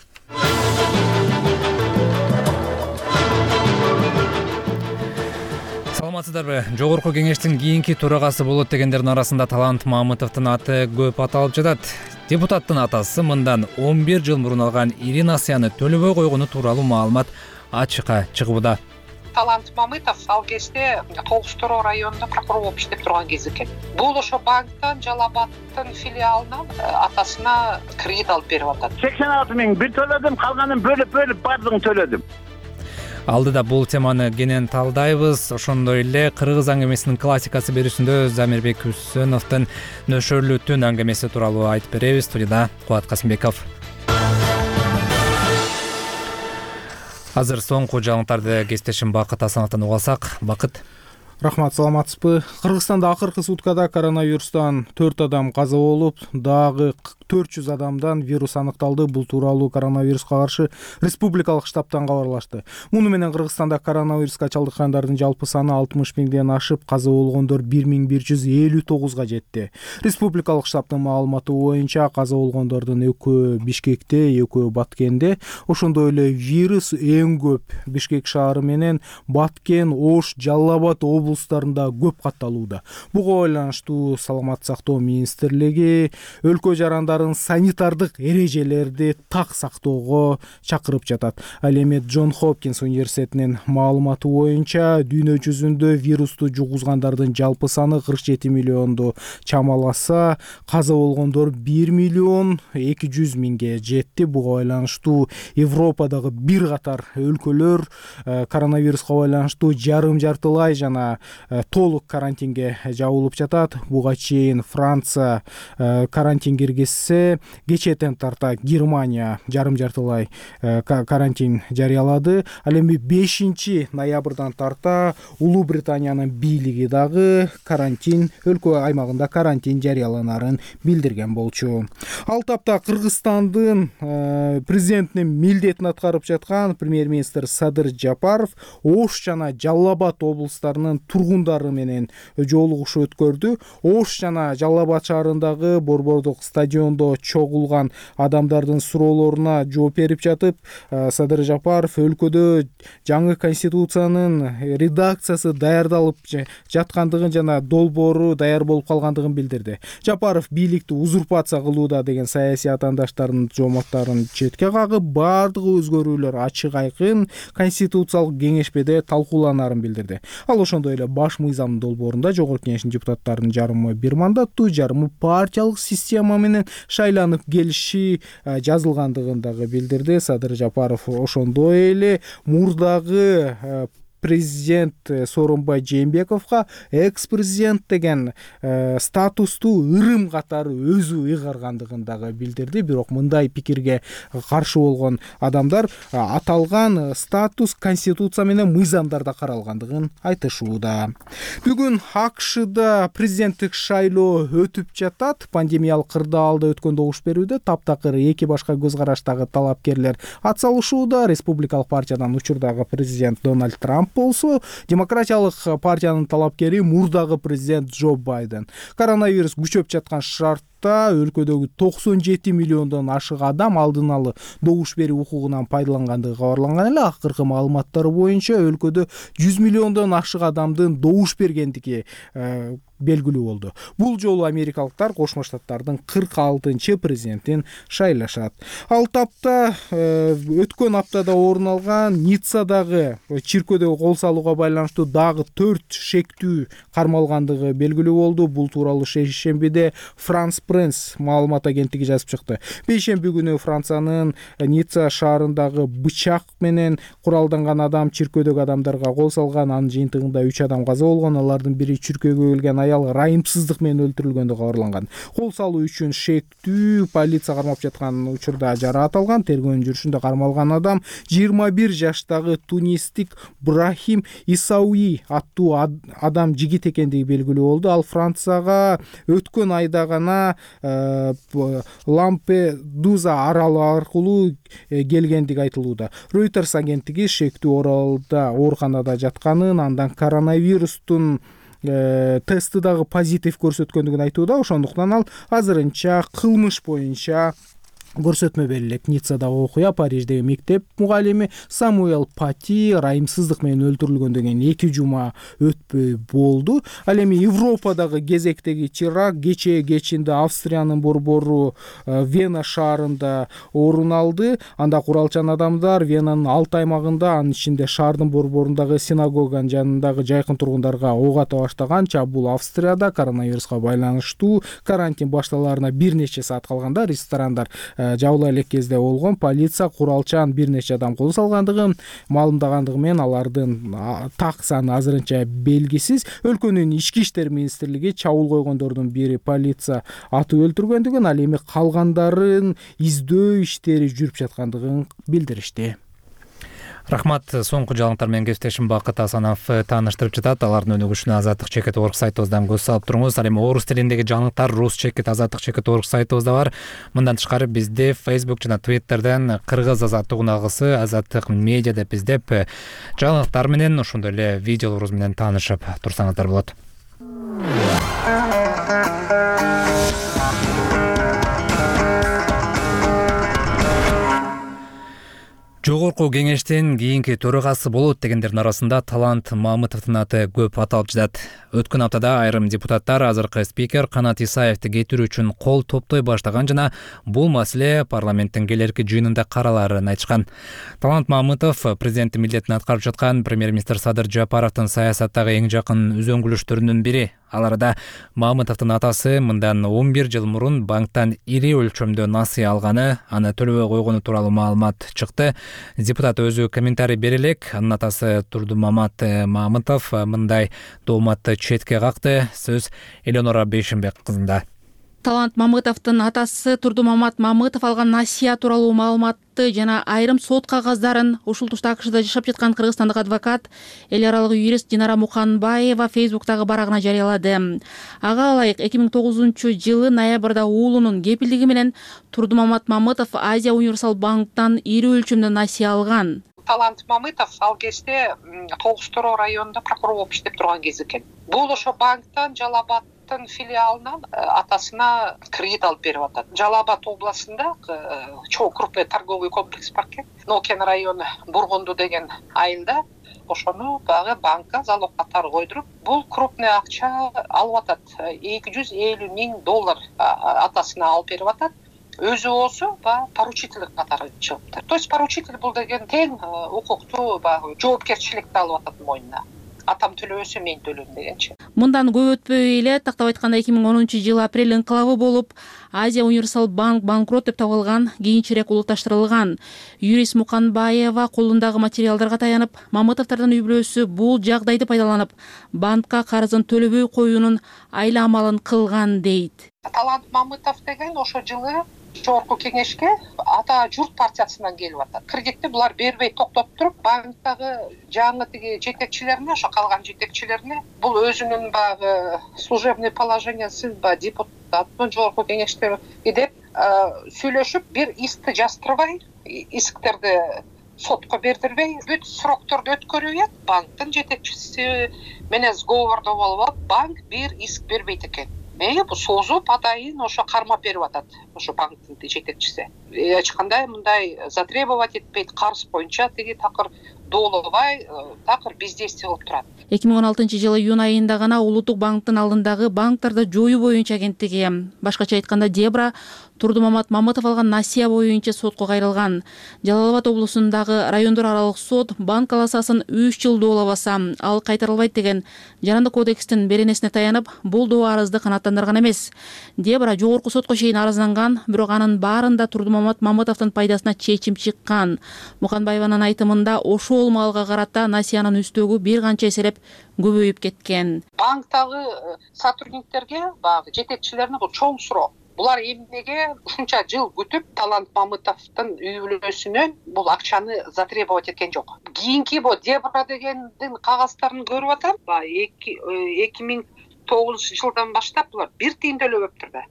Speaker 1: Саламатсыздарбы? Жогорку кеңештин кийинки төрагасы болот дегендердин арасында Талант Мамытовдун аты көп аталып жатат. Депутаттын атасы мындан 11 жыл мурун алган ири насыяны төлөбөй койгону тууралуу маалымат ачыкка чыгууда.
Speaker 5: Талант Мамытов ал кезде Толуштуроо районунда прокурор болуп иштеп турган кез экен. Бул ошо банктан, Жалал Абадтын филиалынан атасына кредит алып берип атат.
Speaker 16: 86 миң бир төлөдүм, калганын бөлүп бардыгын төлөдүм.
Speaker 1: Алдыда бул теманы кенен талдайбыз. Ошондой эле кыргыз аңгемесинин классикасы берүүсүндө Замирбек Үсөновдун нөшөрлүү түн аңгемеси тууралуу айтып беребиз. Студияда Кубат Касымбеков. Азыр соңку жаңылыктарды кесиптешим Бакыт Асановдон угасак. Бакыт.
Speaker 4: Рахмат, саламатсызбы? Кыргызстанда акыркы суткада коронавирустан 4 адам каза болуп, дагы 400 адамдан вирус аныкталды. Бул тууралуу коронавируска каршы республикалык штабтан кабарлашты. Муну менен Кыргызстанда коронавируска чалдыккандардын жалпы саны 60 миңден ашып, каза болгондор 1159га жетти. Республикалык штабтын маалыматы боюнча каза болгондордун экөө Бишкекте, экөө Баткенде. Ошондой эле вирус эң көп Бишкек шаары менен Баткен, Ош, Жалал Абад облустарында көп катталууда. Буга байланыштуу Саламаттык сактоо министрлиги өлкө жарандарын санитардык эрежелерди так сактоого чакырып жатат. Ал эми Джон Хопкинс университетинин маалыматы боюнча дүйнө жүзүндө вирусту жугузгандардын жалпы саны 47 миллионду чамаласа, каза болгондор 1 миллион 200 миңге жетти. Буга байланыштуу Европадагы бир катар өлкөлөр коронавируска байланыштуу жарым-жартылай жана толук карантинге жабылып жатат. Буга чейин Франция карантин киргизсе, кечээден тарта Германия жарым-жартылай карантин жарыялады. Ал эми 5 ноябрдан тарта Улуу Британиянын бийлиги дагы карантин, өлкө аймагында карантин жарыяланарын билдирген болчу. Ал тапта Кыргызстандын президентинин милдетин аткарып жаткан премьер-министр Садыр Жапаров Ош жана Жалал Абад облустарынын тургундары менен жолугушуу өткөрдү. Ош жана Жалал Абад шаарындагы борбордук стадиондо чогулган адамдардын суроолоруна жооп берип жатып, Садыр Жапаров өлкөдө жаңы конституциянын редакциясы даярдалып жаткандыгын жана долбоору даяр болуп калгандыгын билдирди. Жапаров бийликти узурпация кылууда деген саясий атаандаштардын жооматтарын четке кагып, бардыгы өзгөрүүлөр ачык айкын конституциялык кеңешмеде талкууланарын билдирди. Ал ошондой эле баш мыйзамдын долбоорунда жогорку кеңештин депутаттарынын жарымы бир мандаттуу, жарымы партиялык система менен шайланып келиши жазылгандыгын дагы билдирди. Садыр Жапаров ошондой эле мурдагы президент Сооронбай Жээнбековго экс-президент деген статусту ырым катары өзү ыйгаргандыгын дагы билдирди. Бирок мындай пикирге каршы болгон адамдар аталган статус конституция менен мыйзамдарда каралгандыгын айтышууда. Бүгүн АКШда президенттик шайлоо өтүп жатат. Пандемиялык кырдаалда өткөн добуш берүүдө таптакыр эки башка көз караштагы талапкерлер ат салышууда. Республикалык партиядан учурдагы президент Дональд Трамп болсо демократиялык партиянын талапкери мурдагы президент Джо Байден. Коронавирус күчөп жаткан шартта өлкөдөгү 97 миллиондон ашык адам алдын алы добуш берүү укугунан пайдалангандыгы кабарланган эле. Акыркы маалыматтар боюнча өлкөдө 100 миллиондон ашык адамдын добуш бергендиги белгилүү болду. Бул жолу америкалыктар Кошмо Штаттардын 46-чы президентин шайлашат. Ал тапта өткөн аптада орун алган Ниццадагы чиркөөдөгү кол салууга байланыштуу дагы 4 шектүү кармалгандыгы белгилүү болду. Бул тууралуу шейшембиде France Press маалымат агенттиги жазып чыкты. Бейшемби күнү Франциянын Ницца шаарындагы бычак менен куралданган адам чиркөөдөгү адамдарга кол салган. Анын жыйынтыгында 3 адам каза болгон. Алардын бири чиркөөгө келген аял райымсыздык менен өлтүрүлгөндүгү кабарланган. Кол салуу үчүн шектүү полиция кармап жаткан учурда жараат алган. Тергөөнүн жүрүшүндө кармалган адам 21 жаштагы тунистик Брахим Исауи аттуу адам жигит экендиги белгилүү болду. Ал Францияга өткөн айда гана Лампедуза аралы аркылуу келгендиги айтылууда. Reuters агенттиги шектүү оралда ооруканада жатканын, андан коронавирустун тести дагы позитив көрсөткөндүгүн айтууда. Ошондуктан ал азырынча кылмыш боюнча көрсөтмө берилет. Ниццадагы окуя Париждеги мектеп мугалими Самуэл Пати райымсыздык менен өлтүрүлгөндөн 2 жума өтпөй болду. Ал эми Европадагы кезектеги чырак кечинде Австриянын борбору Вена шаарында орун алды. Анда куралчан адамдар Венанын 6 аймагында, анын ичинде шаардын борборундагы синагоганын жанындагы жайкын тургундарга ок ата баштаган. Бул Австрияда коронавируска байланыштуу карантин башталаарына бир нече саат калганда ресторандар жабыла элек кезде болгон. Полиция куралчан бир нече адам кол салгандыгын маалымдагандыгы менен алардын так саны азырынча белгисиз. Өлкөнүн ички иштер министрлиги чабуул койгондордун бири полиция атып өлтүргөндүгүн, ал эми калгандарын издөө иштери жүрүп жаткандыгын билдиришти.
Speaker 1: Рахмат. Соңку жаңылыктар менен кесиптешим Бакыт Асанов тааныштырып жатат. Алардын өнүгүшүнө Азаттык чекит орг сайтыбыздан көз салып туруңуз. Ал эми орус тилиндеги жаңылыктар Рус чекит Азаттык чекит орг сайтыбызда бар. Мындан тышкары бизде Facebook жана Twitter'ден кыргыз азаттык унагысы Азаттык медиа деп издеп жаңылыктар менен ошондой эле видеолорубуз менен таанышып турсаңыздар болот. Жогорку кеңештин кийинки төрагасы болот дегендердин арасында Талант Мамытовдун аты көп аталып жатат. Өткөн аптада айрым депутаттар азыркы спикер Канат Исаевди кетирүү үчүн кол топтой баштаган жана бул маселе парламенттин келерки жыйынында караларын айтышкан. Талант Мамытов президенттин милдетин аткарып жаткан премьер-министр Садыр Жапаровдун саясаттагы эң жакын үзөңгүлүштөрүнүн бири. Ал арада Мамытовдун атасы мындан 11 жыл мурун банктан ири өлчөмдө насыя алганы, аны төлөбөй койгону тууралуу маалымат чыкты. Депутат өзү комментарий бере элек. Анын атасы Турдумамат Мамытов мындай дооматты четке какты. Сөз Эленора Бейшимбек кызында.
Speaker 2: Талант Мамытовдун атасы Турдумамат Мамытов алган насыя тууралуу маалыматты жана айрым сот кагаздарын ушул тушта АКШда жашап жаткан кыргызстандык адвокат, эл аралык юрист Динара Муканбаева Facebook'тагы барагына жарыялады. Ага ылайык 2009-жылы ноябрда уулунун кепилдиги менен Турдумамат Мамытов Азия Универсал банктан ири өлчөмдө насыя алган.
Speaker 5: Талант Мамытов ал кезде Толстуроо районунда прокурор болуп иштеп турган кез экен. Бул ошо банктан Жалалабадтын филиалынан атасына кредит алып берип атат. Жалалабад областында чоң крупный торговый комплекс бар экен. Нокен району Бургунду деген айылда ошону багы банкка залог катары койдуруп, бул крупный акча алып атат. $250,000 атасына алып берип атат. Өзү болсо поручитель катары чыгыптыр. То есть поручитель бул деген тең укуктуу жоопкерчиликти алып атат мойнуна. Атам төлөбөсө мен төлөйм дегенчи.
Speaker 2: Мындан көп өтпөй эле тактап айтканда 2010-жылы апрель инкылабы болуп, Азия Универсал банк банкрот деп табылган, кийинчерээк улутташтырылган. Юрист Муканбаева колундагы материалдарга таянып, Мамытовдордун үй-бүлөсү бул жагдайды пайдаланып, банкка карызын төлөбөй коюунун айла амалын кылган дейт.
Speaker 5: Талант Мамытов деген ошо жылы жогорку кеңешке ата журт партиясынан келип атат. Кредитти булар бербей токтоп туруп, банктагы жаңы тиги жетекчилерине, ошо калган жетекчилерине бул өзүнүн багы служебный положениясын депутаттын жогорку кеңеште деп сүйлөшүп, бир искти жаздырбай, исктерди сотко бердирбей бүт срокторду өткөрүп банктын жетекчиси менен сговордо болуп алып, банк бир иск бербейт экен. Бул созуп атайын ошо кармап берип атат ошо банктын жетекчиси. Эч кандай мындай затребовать этпейт, карыз боюнча тиги такыр доолобай, такыр бездействие кылып турат.
Speaker 2: 2016-жылы июнь айында гана Улуттук банктын алдындагы банктарды жоюу боюнча агенттиги, башкача айтканда Дебра, Турдумамат Мамытов алган насыя боюнча сотко кайрылган. Жалал Абад облусундагы райондор аралык сот банк аласасын 3 жыл доолабаса, ал кайтарылбайт деген Жарандык кодекстин беренесине таянып, бул доо арызды канааттандырган эмес. Дебра жогорку сотко чейин арызданган, бирок анын баарында Турдумамат Мамытовдун пайдасына чечим чыккан. Муканбаеванын айтымында ошол маалга карата насыянын үстөгү бир канча эселеп көбөйүп кеткен.
Speaker 5: Банктагы сотрудниктерге, баягы жетекчилерине бул чоң суроо. Булар эмнеге ушунча жыл күтүп Талант Мамытовдун үй бүлөсүнөн бул акчаны затребовать эткен жок. Кийинки бул Дебра дегендин кагаздарын көрүп атам. 2009 жылдан баштап булар 1 тыйын төлөбөптүр да.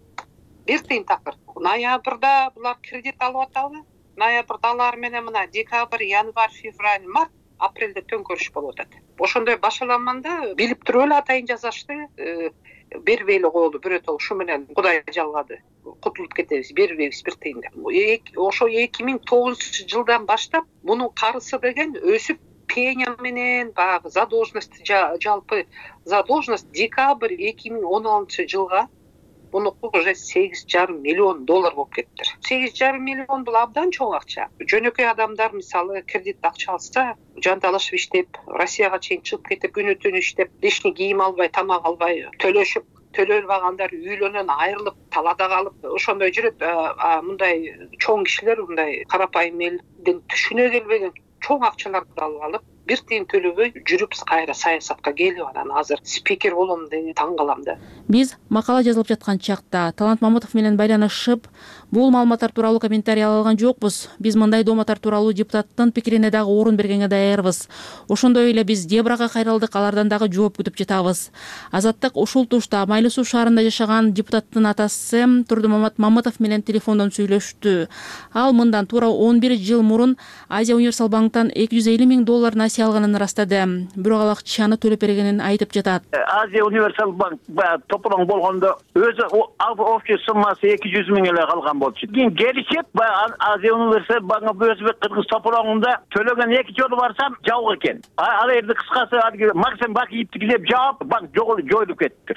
Speaker 5: 1 тыйын такыр. Ноябрда булар кредит алып атабы? Ноябрда алар менен мына декабрь, январь, февраль, март, апрелде төңкөрүш болуп атат. Ошондой башаламанда билип туруп эле атайын жазашты. Бербей эле коелу бирөөтө ушу менен Кудай жалгады. Кутулуп кетебиз, бербейбиз 1 тыйын деп. Ошо 2009 жылдан баштап мунун карысы деген өсүп пеня менен баягы задолженность, жалпы задолженность декабрь 2016 жылга мунуку уже $8,5 миллион болуп кетти. $8,5 миллион бул абдан чоң акча. Жөнөкөй адамдар мисалы кредит акча алса, жанталашып иштеп, Россияга чейин чыгып кетип, күнү түнү иштеп, лишний кийим албай, тамак албай, төлөшүп, төлөлбагандар үйлөнөн айрылып, талада калып, ошондой жүрөт. Мындай чоң кишилер, мындай карапайым элдин түшүнө келбеген чоң акчаларды алып алып, 1 тыйын төлөбөй жүрүп кайра саясатка келип анан азыр спикер болом деп таң калам да.
Speaker 2: Биз макала жазылып жаткан чакта Талант Мамытов менен байланышып, бул маалыматтар тууралуу комментарий ала алган жокпуз. Биз мындай дооматтар тууралуу депутаттын пикирине дагы орун бергенге даярбыз. Ошондой эле биз Дебрага кайрылдык, алардан дагы жооп күтүп жатабыз. Азаттык ушул тушта Майлуу Суу шаарында жашаган депутаттын атасы Турдумамат Мамытов менен телефондон сүйлөштү. Ал мындан туура 11 жыл мурун Азия Универсал банктан $250 миң насыя алганын ырастады. Бирок ал акчаны төлөп бергенин айтып жатат.
Speaker 8: Азия Универсал банк тополоң болгондо өзү общий суммасы 200 миң эле калган болчу. Кийин келишип, Азия Универсал банк Өзбек Кыргыз тополоңунда төлөгөн 2 жолу барсам жабык экен. Ал жерде кыскасы Максим Бакиевди килеп жаап, банк жоюлуп кетти.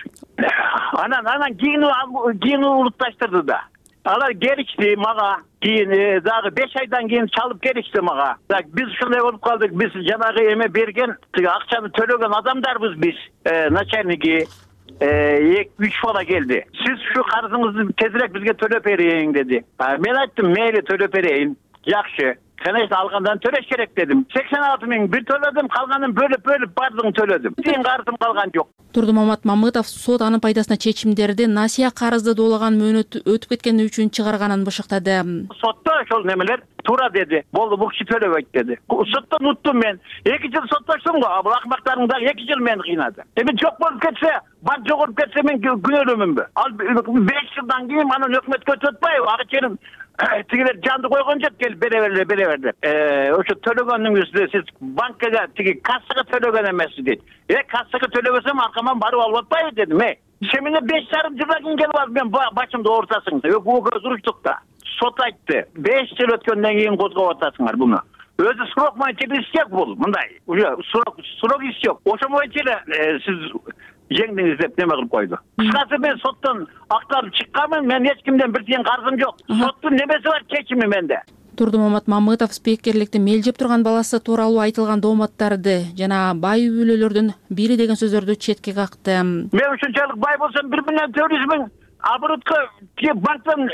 Speaker 8: Анан кийин улутташтырды да. Алар келишти мага, кийин дагы 5 айдан кийин чалып келишти мага. Биз ушундай болуп калдык, биз жанагы эме берген, акчаны төлөгөн адамдарбыз биз. Начальники 2-3 бала келди. Сиз ушу карызыңызды тезирээк бизге төлөп бериң деди. Мен айттым, мейли төлөп берейин. Жакшы. Конечно, алгандан төлөш керек дедим. 86 миң бир төлөдүм, калганын бөлүп бардыгын төлөдүм. Тыйын карызым калган жок.
Speaker 2: Турдумамат Мамытов сот анын пайдасына чечимдерди насыя карызды доолаган мөөнөт өтүп кеткени үчүн чыгарганын бышыктады.
Speaker 8: Сотто ошол немелер туура деди. Болду, бул киши төлөбөйт деди. Соттон уттум мен. 2 жыл соттоштум го, бул акмактардын дагы 2 жыл мени кыйнады. Эми жок болуп кетсе, банк жогоруп кетсе мен күнөөлүүмүнбү? Ал 5 жылдан кийин анан өкмөткө өтпөйбү? Акчанын тигилер жанды койгон жок, келип бере бер. Ошо төлөгөнүңүздү сиз банкага тиги кассага төлөгөн эмессиз дейт. Кассага төлөбөсөм аркаман барып алып атпайбы дедим. Сен менен 5,5 жылдан кийин келип алып мен башымды оорутасың. Көз уруштук да. Сот айтты. 5 жыл өткөндөн кийин козгоп атасыңар буну. Өзү срок боюнча истек бул, мындай. Уже срок истек. Ошо боюнча эле сиз жеңдиңиз деп неме кылып койду. Кыскасы мен соттон акталып чыкканмын, мен эч кимден 1 тыйын карызым жок. Соттун немеси бар, чечими менде.
Speaker 2: Турдумамат Мамытов спикерликти мелжеп турган баласы тууралуу айтылган дооматтарды жана бай үй бүлөлөрдүн бири деген сөздөрдү четке какты.
Speaker 8: Мен ушунчалык бай болсом 1,4 миң оборотко банктан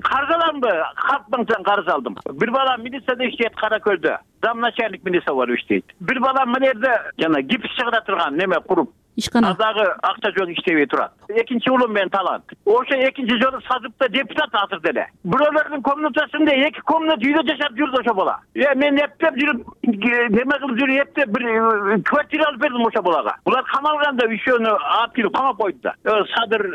Speaker 8: карыз аламбы? Халк банктан карыз алдым. Бир бала милицияда иштейт Каракөлдө. Зам начальник милиция болуп иштейт. Бир бала мына жерде жана гипс чыгара турган неме куруп
Speaker 2: ишкана
Speaker 8: дагы акча жок иштебей турат. Экинчи уулум менен Талант. Ошо экинчи жолу сазыкта депутат азыр деле. Бирөөлөрдүн комнатасында 2 комната үйдө жашап жүрдү ошо бала. Мен эптеп жүрүп, неме кылып жүрүп эптеп бир квартира алып бердим ошо балага. Булар камалганда үшөөнү алып келип камап койду да. Садыр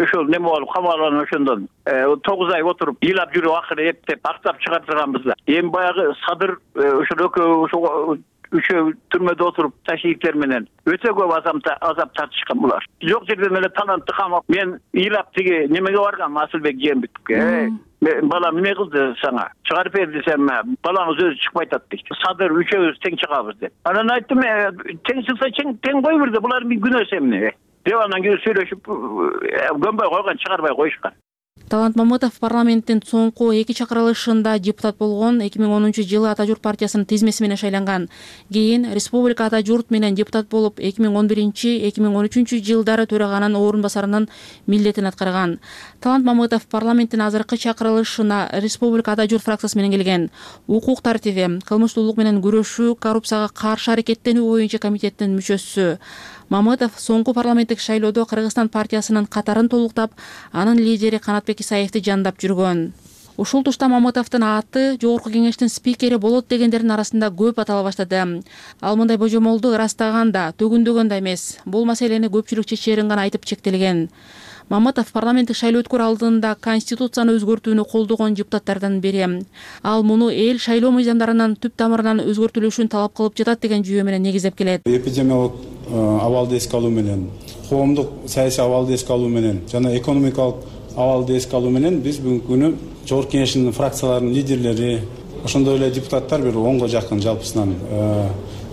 Speaker 8: ошол неме болуп камалган ошондон 9 ай отуруп, ыйлап жүрүп акыры эптеп актап чыгартырганбыз да. Эми баягы Садыр ошол экөө ошо үшөө түрмөдө отуруп ташиевтер менен өтө көп азап тартышкан булар. Жок жерден эле Талантты камап, мен ыйлап тиги немеге баргам Асылбек Жээнбековге. Балам эмне кылды сага? Чыгарып бер десем, балаңыз өзү чыкпай атат дейт. Садыр үчөөбүз тең чыгабыз деп. Анан айттым, тең чыкса тең кой бирде, булар күнөөсү эмне? Деп анан кийин сүйлөшүп, көнбөй койгон, чыгарбай коюшкан.
Speaker 2: Талант Мамытов парламенттин соңку 2 чакырылышында депутат болгон. 2010-жылы Ата журт партиясынын тизмеси менен шайланган. Кийин Республика Ата журт менен депутат болуп, 2011-2013 жылдары төраганын орун басарынын милдетин аткарган. Талант Мамытов парламенттин азыркы чакырылышына Республика Ата журт фракциясы менен келген. Укук тартиби, кылмыштуулук менен күрөшүү, коррупцияга каршы аракеттенүү боюнча комитеттин мүчөсү. Мамытов соңку парламенттик шайлоодо Кыргызстан партиясынын катарын толуктап, анын лидери Канатбек Исаевди жандап жүргөн. Ушул тушта Мамытовдун аты Жогорку кеңештин спикери болот дегендердин арасында көп атала баштады. Ал мындай божомолду ырастаганда, төгүндөгөн да эмес. Бул маселени көпчүлүк чечерин гана айтып чектелген. Мамытов парламенттик шайлоо өткөрүү алдында конституцияны өзгөртүүнү колдогон депутаттардан бири. Ал муну эл шайлоо мыйзамдарынын түп тамырынан өзгөртүлүшүн талап кылып жатат деген жүйө менен негиздеп келет.
Speaker 10: Эпидемиялык абалды эске алуу менен, коомдук саясий абалды эске алуу менен жана экономикалык абалды эске алуу менен биз бүгүнкү күнү Жогорку кеңештин фракцияларынын лидерлери, ошондой эле депутаттар бир 10го жакын жалпысынан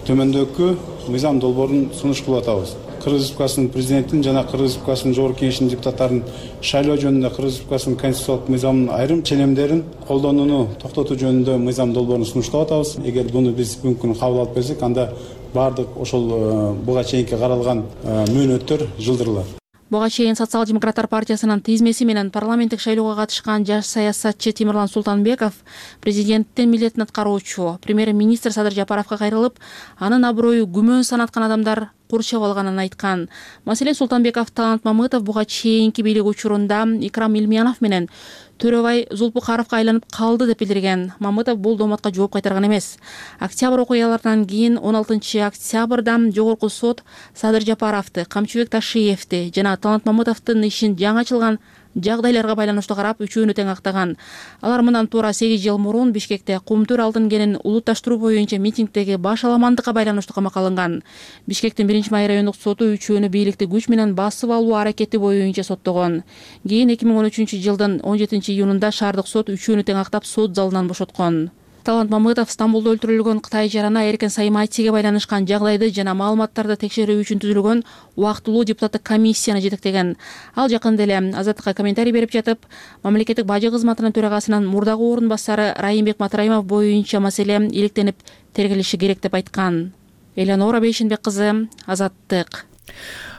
Speaker 10: төмөндөгү мыйзам долбоорун сунуш кылып атабыз. Кыргыз Республикасынын президентин жана Кыргыз Республикасынын Жогорку кеңешинин депутаттарын шайлоо жөнүндө Кыргыз Республикасынын конституциялык мыйзамынын айрым ченемдерин колдонууну токтотуу жөнүндө мыйзам долбоорун сунуштап атабыз. Эгер буну биз бүгүнкү күнү кабыл алып берсек, анда баардык ошол буга чейинки каралган мөөнөттөр жылдырылат.
Speaker 2: Буга чейин Социал-демократтар партиясынын тизмеси менен парламенттик шайлоого катышкан жаш саясатчы Тимирлан Султанбеков президенттин милдетин аткаруучу премьер-министр Садыр Жапаровго кайрылып, анын аброю күмөн санаткан адамдар курчап алганын айткан. Маселен, Султанбеков Талант Мамытов буга чейинки бийлик учурунда Икрам Илмиянов менен Төрөбай Зулпукаровго айланып калды деп билдирген. Мамытов бул дооматка жооп кайтарган эмес. Октябрь окуяларынан кийин 16 октябрда Жогорку сот Садыр Жапаровду, Камчыбек Ташиевди жана Талант Мамытовдун ишин жаңы ачылган жагдайларга байланыштуу карап, үчөөнү тең актаган. Алар мындан туура 8 жыл мурун Бишкекте Кумтөр алдын кенин улутташтыруу боюнча митингдеги баш аламандыкка байланыштуу камакка алынган. Бишкектин 1-май райондук соту үчөөнү бийликти күч менен басып алуу аракети боюнча соттогон. Кийин 2013 жылдын 17 июнунда шаардык сот үчөөнү тең актап сот залынан бошоткон. Талант Мамытов Стамбулда өлтүрүлгөн Кытай жарана Эркен Сайматиге байланышкан жагдайды жана маалыматтарды текшерүү үчүн түзүлгөн убактылуу депутаттык комиссияны жетектеген. Ал жакында эле Азаттыкка комментарий берип жатып, мамлекеттик бажы кызматынын төрагасынын мурдагы орун басары Райымбек Матраимов боюнча маселе иликтенип тергелиши керек деп айткан. Элеонора Бейшенбек кызы, Азаттык.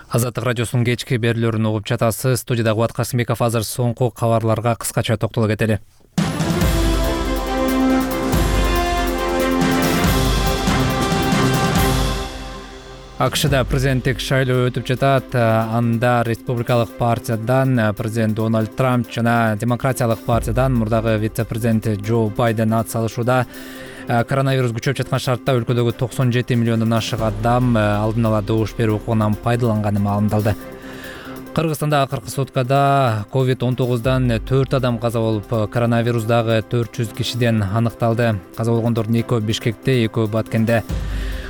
Speaker 1: Азаттык радиосунун кечки берүүлөрүн угуп жатасыз. Студияда Кубат Касымбеков. Азыр соңку кабарларга кыскача токтоло кетели. АКШда президенттик шайлоо өтүп жатат. Анда республикалык партиядан президент Дональд Трамп жана демократиялык партиядан мурдагы вице-президент Джо Байден ат салышууда. Коронавирус күчөп жаткан шартта өлкөдөгү 97 миллиондон ашык адам алдын ала добуш берүү укугунан пайдаланганы маалымдалды. Кыргызстанда акыркы суткада COVID-19дан 4 адам каза болуп, коронавирус дагы 400 кишиден аныкталды. Каза болгондордун 2 Бишкекте, 2 Баткенде.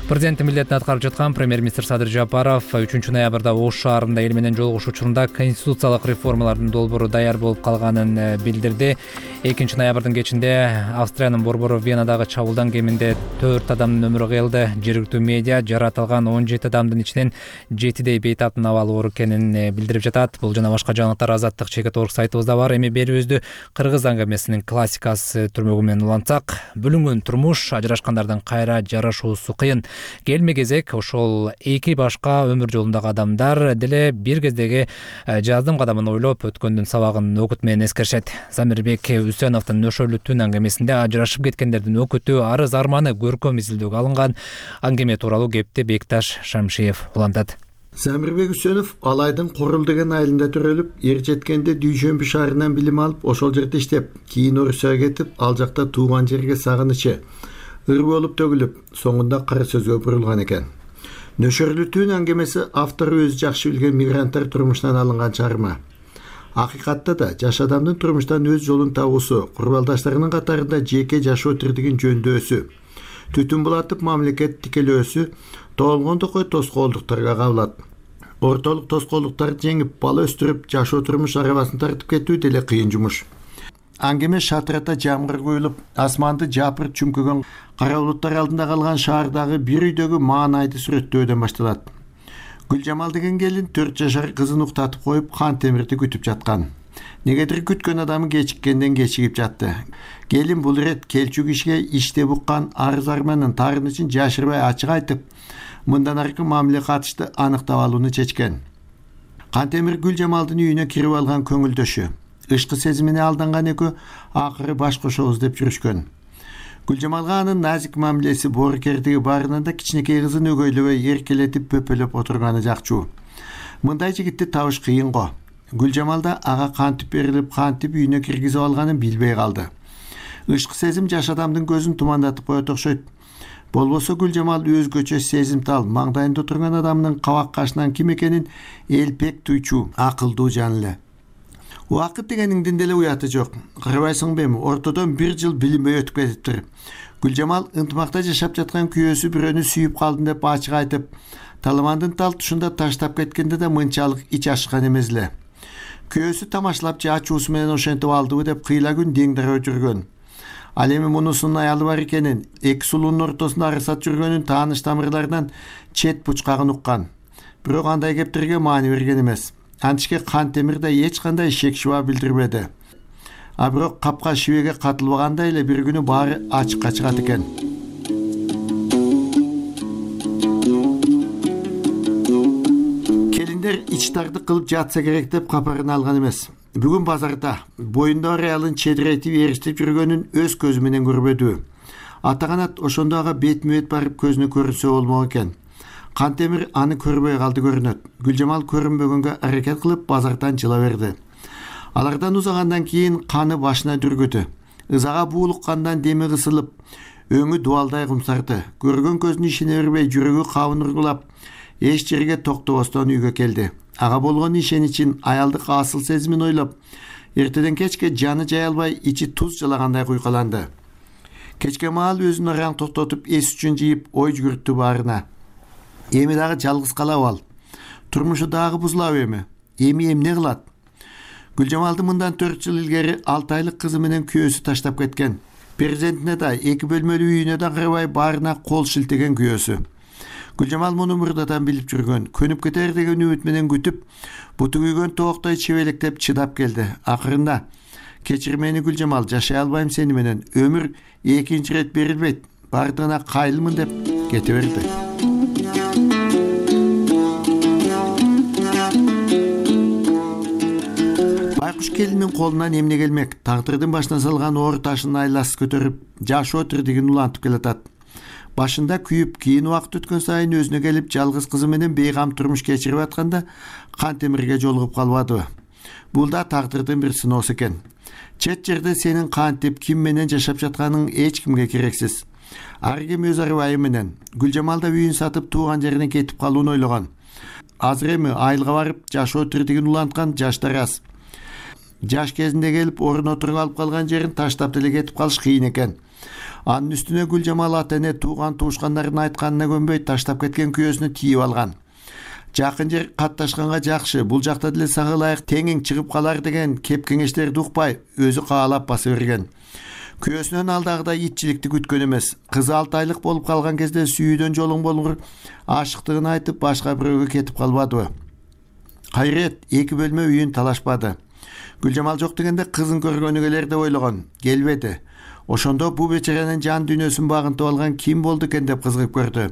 Speaker 1: Президенттин милдетин аткарып жаткан премьер-министр Садыр Жапаров 3 ноябрда Ош шаарында эл менен жолугушуу учурунда конституциялык реформалардын долбоору даяр болуп калганын билдирди. 2 ноябрдын кечинде Австриянын борбору Венадагы чабуулдан кеминде 4 адамдын өмүрү кыйылды. Жергиликтүү медиа жаратылган 17 адамдын ичинен 7дей бейтаптын абалы оор экенин билдирип жатат. Бул жана башка жаңылыктар Азаттык Чекет.org сайтыбызда бар. Эми берүүбүздү кыргыз аңгемесинин классикасы түрмөгү менен улантсак, бүлүнгөн турмуш, ажырашкандардын кайра жарашуусу кыйын. Келме кезек ошол эки башка өмүр жолундагы адамдар деле бир кездеги жаздым кадамын ойлоп өткөндүн сабагын окут менен эскеришет. Замирбек Үсеновдун Нөшөлүү түн аңгемесинде ажырашып кеткендердин окуту, арыз арманы көркөм изилдөөгө алынган аңгеме тууралуу кепти Бекташ Шамшиев улантат.
Speaker 7: Замирбек Үсөнов Алайдын Корул деген айылында төрөлүп, эр жеткенде Дүйшөмбү шаарынан билим алып, ошол жерде иштеп, кийин Орусияга кетип, ал жакта тууган жерге сагынычы ыр болуп төгүлүп, соңунда кара сөзгө бурулган экен. Нөшөрлүтүүн аңгемеси автору өзү жакшы билген мигранттар турмушунан алынган чыгарма. Акыйкатта да жаш адамдын турмуштан өз жолун табуусу, курбалдаштарынын катарында жеке жашоо тирдигин жөндөсү, түтүн булатып мамлекет тикелөөсү тоолгондокой тоскоолдуктарга кабылат. Ортолук тоскоолдуктарды жеңип, бала өстүрүп, жашоо турмуш арабасын тартып кетүү деле кыйын жумуш. Аңгеме шатырата жамгыр коюлуп, асманды жапырт чүмкөгөн кара булуттар алдында калган шаардагы бир үйдөгү маанайды сүрөттөөдөн башталат. Гүлжамал деген келин 4 жашар кызын уктатып коюп, Кантемирди күтүп жаткан. Негедир күткөн адамы кечиккенден кечигип жатты. Келин бул ирет келчү кишиге иште буккан арыз арманын таарынычын жашырбай ачык айтып, мындан аркы мамиле катышты аныктап алууну чечкен. Кантемир Гүлжамалдын үйүнө кирип алган көңүлдөшү. Ышкы сезимине алданган экөө акыры баш кошобуз деп жүрүшкөн. Гүлжамалга анын назик мамилеси, боорукердиги баарынан да кичинекей кызын өгөйлөбөй эркелетип пөпөлөп отурганы жакчу. Мындай жигитти табыш кыйын го. Гүлжамал да ага кантип берилип, кантип үйүнө киргизип алганын билбей калды. Ышкы сезим жаш адамдын көзүн тумандатып коет окшойт. Болбосо Гүлжамал өзгөчө сезимтал, маңдайында отурган адамдын кабак кашынан ким экенин элпек туйчу, акылдуу жан эле. Убакыт дегениңдин деле уяты жок. Карабайсыңбы эми, ортодон 1 жыл билинбей өтүп кетиптир. Гүлжамал ынтымакта жашап жаткан күйөөсү бирөөнү сүйүп калдым деп ачык айтып, таламандын тал тушунда таштап кеткенде да мынчалык ич ашкан эмес эле. Күйөөсү тамашалап же ачуусу менен ошентип алдыбы деп кыйла күн деңдереп жүргөн. Ал эми мунусунун аялы бар экенин, эки сулуунун ортосунда арысат жүргөнүн тааныш тамырлардан чет бучкагын уккан. Бирок андай кептерге маани берген эмес. Антишке Кантемир да эч кандай шек шуба билдирбеди. А бирок капка шибеге катылбагандай эле бир күнү баары ачыкка чыгат экен. Келиндер ичтарды кылып жатса керек деп капарын алган эмес. Бүгүн базарда боюнда аялын чедиретип эриштип жүргөнүн өз көзү менен көрбөдү. Атаганат ошондо ага бетме-бет барып көзүнө көрүнсө болмок экен. Кантемир аны көрбөй калды көрүнөт. Гүлжамал көрүнбөгөнгө аракет кылып базардан жыла берди. Алардан узагандан кийин каны башына дүргүдү. Ызага буулуккандан деми кысылып, өңү дуалдай кумсарды. Көргөн көзүнө ишене бербей, жүрөгү кабын ургулап, эч жерге токтобостон үйгө келди. Ага болгон ишеничин, аялдык асыл сезимин ойлоп, эртеден кечке жаны жай албай, ичи туз жалагандай куйкаланды. Кечке маал өзүн араң токтотуп, эс үчүн жыйып, ой жүгүрттү баарына. Эми дагы жалгыз калабы ал? Турмушу дагы бузулабы эми? Эми эмне кылат? Гүлжамалды мындан 4 жыл илгери 6 айлык кызы менен күйөөсү таштап кеткен. Перзентине да, 2 бөлмөлүү үйүнө да карабай баарына кол шилтеген күйөөсү. Гүлжамал муну мурдадан билип жүргөн. Көнүп кетер деген үмүт менен күтүп, буту күйгөн тооктой чебелектеп чыдап келди. Акырында кечир мени Гүлжамал, жашай албайм сени менен. Өмүр экинчи ирет берилбейт. Бардыгына кайылмын деп кете берди. Байкуш келиндин колунан эмне келмек? Тагдырдын башына салган оор ташын айласы көтөрүп, жашоо тирдигин улантып келатат. Башында күйүп, кийин убакыт өткөн сайын өзүнө келип, жалгыз кызы менен бейгам турмуш кечирип атканда Кантемирге жолугуп калбадыбы? Бул да тагдырдын бир сыноосу экен. Чет жерде сенин кантип, ким менен жашап жатканың эч кимге керексиз. Ар ким өз арыбайы менен. Гүлжамал да үйүн сатып тууган жерине кетип калууну ойлогон. Азыр эми айылга барып, жашоо тирдигин уланткан жаштар аз. Жаш кезинде келип, орун отуруп алып калган жерин таштап деле кетип калыш кыйын экен. Анын үстүнө Гүлжамал ата-эне тууган туушкандардын айтканына көнбөй таштап кеткен күйөөсүнү тийип алган. Жакын жер катташканга жакшы, бул жакта деле сага ылайык теңиң чыгып калар деген кеп кеңештерди укпай, өзү каалап баса берген. Күйөөсүнөн алдагыдай итчиликти күткөн эмес. Кызы 6 айлык болуп калган кезде сүйүүдөн жолуң болгур ашыктыгын айтып башка бирөөгө кетип калбадыбы? Кайрет 2 бөлмө үйүн талашпады. Гүлжамал жок дегенде кызын көргөнү келер деп ойлогон. Келбеди. Ошондо бу бечаранын жан дүйнөсүн багынтып алган ким болду экен деп кызыгып көрдү.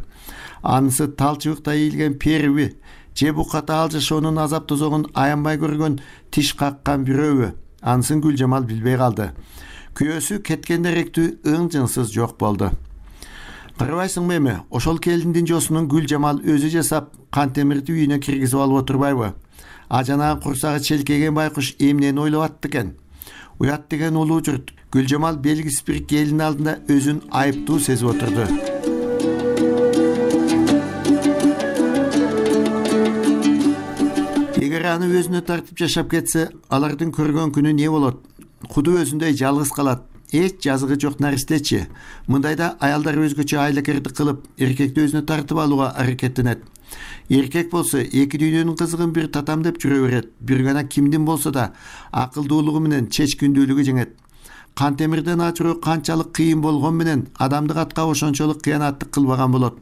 Speaker 7: Анысы талчыбыкта ийилген перби, же буката ал жашоонун азап тозогун аянбай көргөн тиш каккан бирөөбү? Анысын Гүлжамал билбей калды. Күйөөсү кеткенде ректүү ың-жыңсыз жок болду. Карабайсыңбы эми, ошол келиндин жосунун Гүлжамал өзү жасап Кантемирди үйүнө киргизип алып отурбайбы? А жанагы курсагы челкеген байкуш эмнени ойлоп атты экен? Уят деген улуу журт. Гүлжамал белгисиз бир келин алдында өзүн айыптуу сезип отурду. Эгер аны өзүнө тартып жашап кетсе, алардын көргөн күнү не болот? Куду өзүндөй жалгыз калат. Эч жазыгы жок наристечи. Мындайда аялдар өзгөчө айлакердик кылып, эркекти өзүнө тартып алууга аракеттенет. Эркек болсо эки дүйнөнүн кызыгын бир татам деп жүрө берет. Бир гана кимдин болсо да акылдуулугу менен чечкиндүүлүгү жеңет. Кантемирден ачыруу канчалык кыйын болгон менен адамдык атка ошончолук кыянаттык кылбаган болот.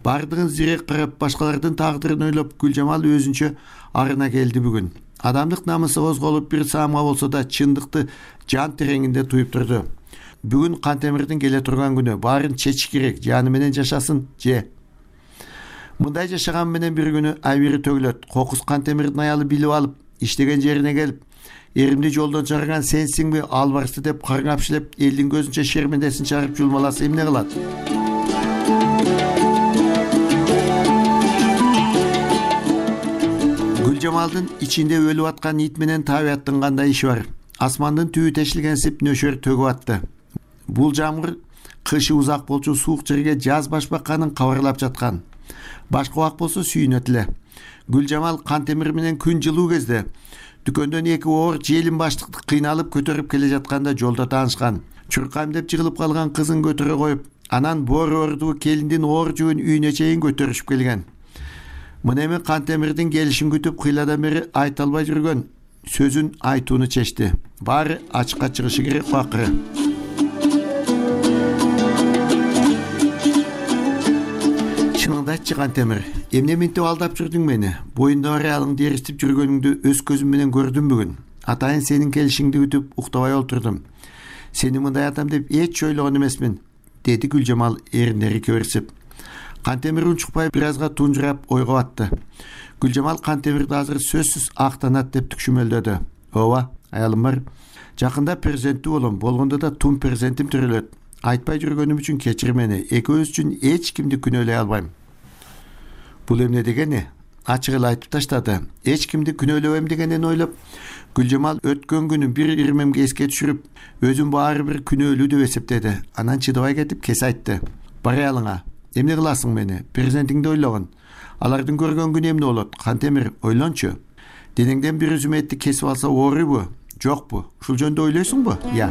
Speaker 7: Бардыгын зирек карап, башкалардын тагдырын ойлоп, Гүлжамал өзүнчө арына келди бүгүн. Адамдык намысы козголуп бир саамга болсо да чындыкты жан тереңинде туюп турду. Бүгүн Кантемирдин келе турган күнү, баарын чечиш керек, жаны менен жашасын же. Мындай жашаган менен бир күнү айбири төгүлөт. Кокус Кантемирдин аялы билип алып, иштеген жерине келип, эримди жолдон чыгарган сенсиңби, албарсы деп каргапшылеп, элдин көзүнчө шермендесин чыгарып жулмаласа эмне кылат? Гүлжамалдын ичинде өлүп аткан ит менен табияттын кандай иши бар? Асмандын түбү тешилгенсип нөшөр төгүп атты. Бул жамгыр кышы узак болчу суук жерге жаз башбакканын кабарлап жаткан. Башка убак болсо сүйүнөт эле. Гүлжамал Кантемир менен күн жылуу кезде дүкөндөн эки оор желин баштыкты кыйналып көтөрүп келе жатканда жолдо таанышкан. Чуркайм деп жыгылып калган кызын көтөрө коюп, анан боору ордуу келиндин оор жүгүн үйүнө чейин көтөрүшүп келген. Мына эми Кантемирдин келишин күтүп кыйладан бери айта албай жүргөн сөзүн айтууну чечти. Баары ачыкка чыгышы керек акыры. Чыныңды айтчы Кантемир, эмне минтип алдап жүрдүң мени? Боюнда аялыңды эристип жүргөнүңдү өз көзүм менен көрдүм бүгүн. Атайын сенин келишиңди күтүп уктабай олтурдум. Сени мындай атам деп эч ойлогон эмесмин, деди Гүлжамал эриндери кеберсип. Кантемир унчукпай бир азга тунжурап ойго батты. Гүлжамал Кантемирди азыр сөзсүз актанат деп түкшүмөлдөдү. Ооба, аялым бар. Жакында перзенттүү болом, болгондо да тун перзентим төрөлөт. Айтпай жүргөнүм үчүн кечир мени. Экөөбүз үчүн эч кимди күнөөлөй албайм. Бул эмне дегени? Ачык эле айтып таштады. Эч кимди күнөөлөбөйм дегенин ойлоп, Гүлжамал өткөн күнү бир ирмемге эске түшүрүп, өзүн баары бир күнөөлүү деп эсептеди. Анан чыдабай кетип кес айтты. Бар аялыңа. Эмне кыласың мени? Перзентиңди ойлогон. Алардын көргөн күнү эмне болот? Кантемир, ойлончу. Денеңден бир үзүм этти кесип алса ооруйбу? Жокпу? Ушул жөнүндө ойлойсуңбу? Я.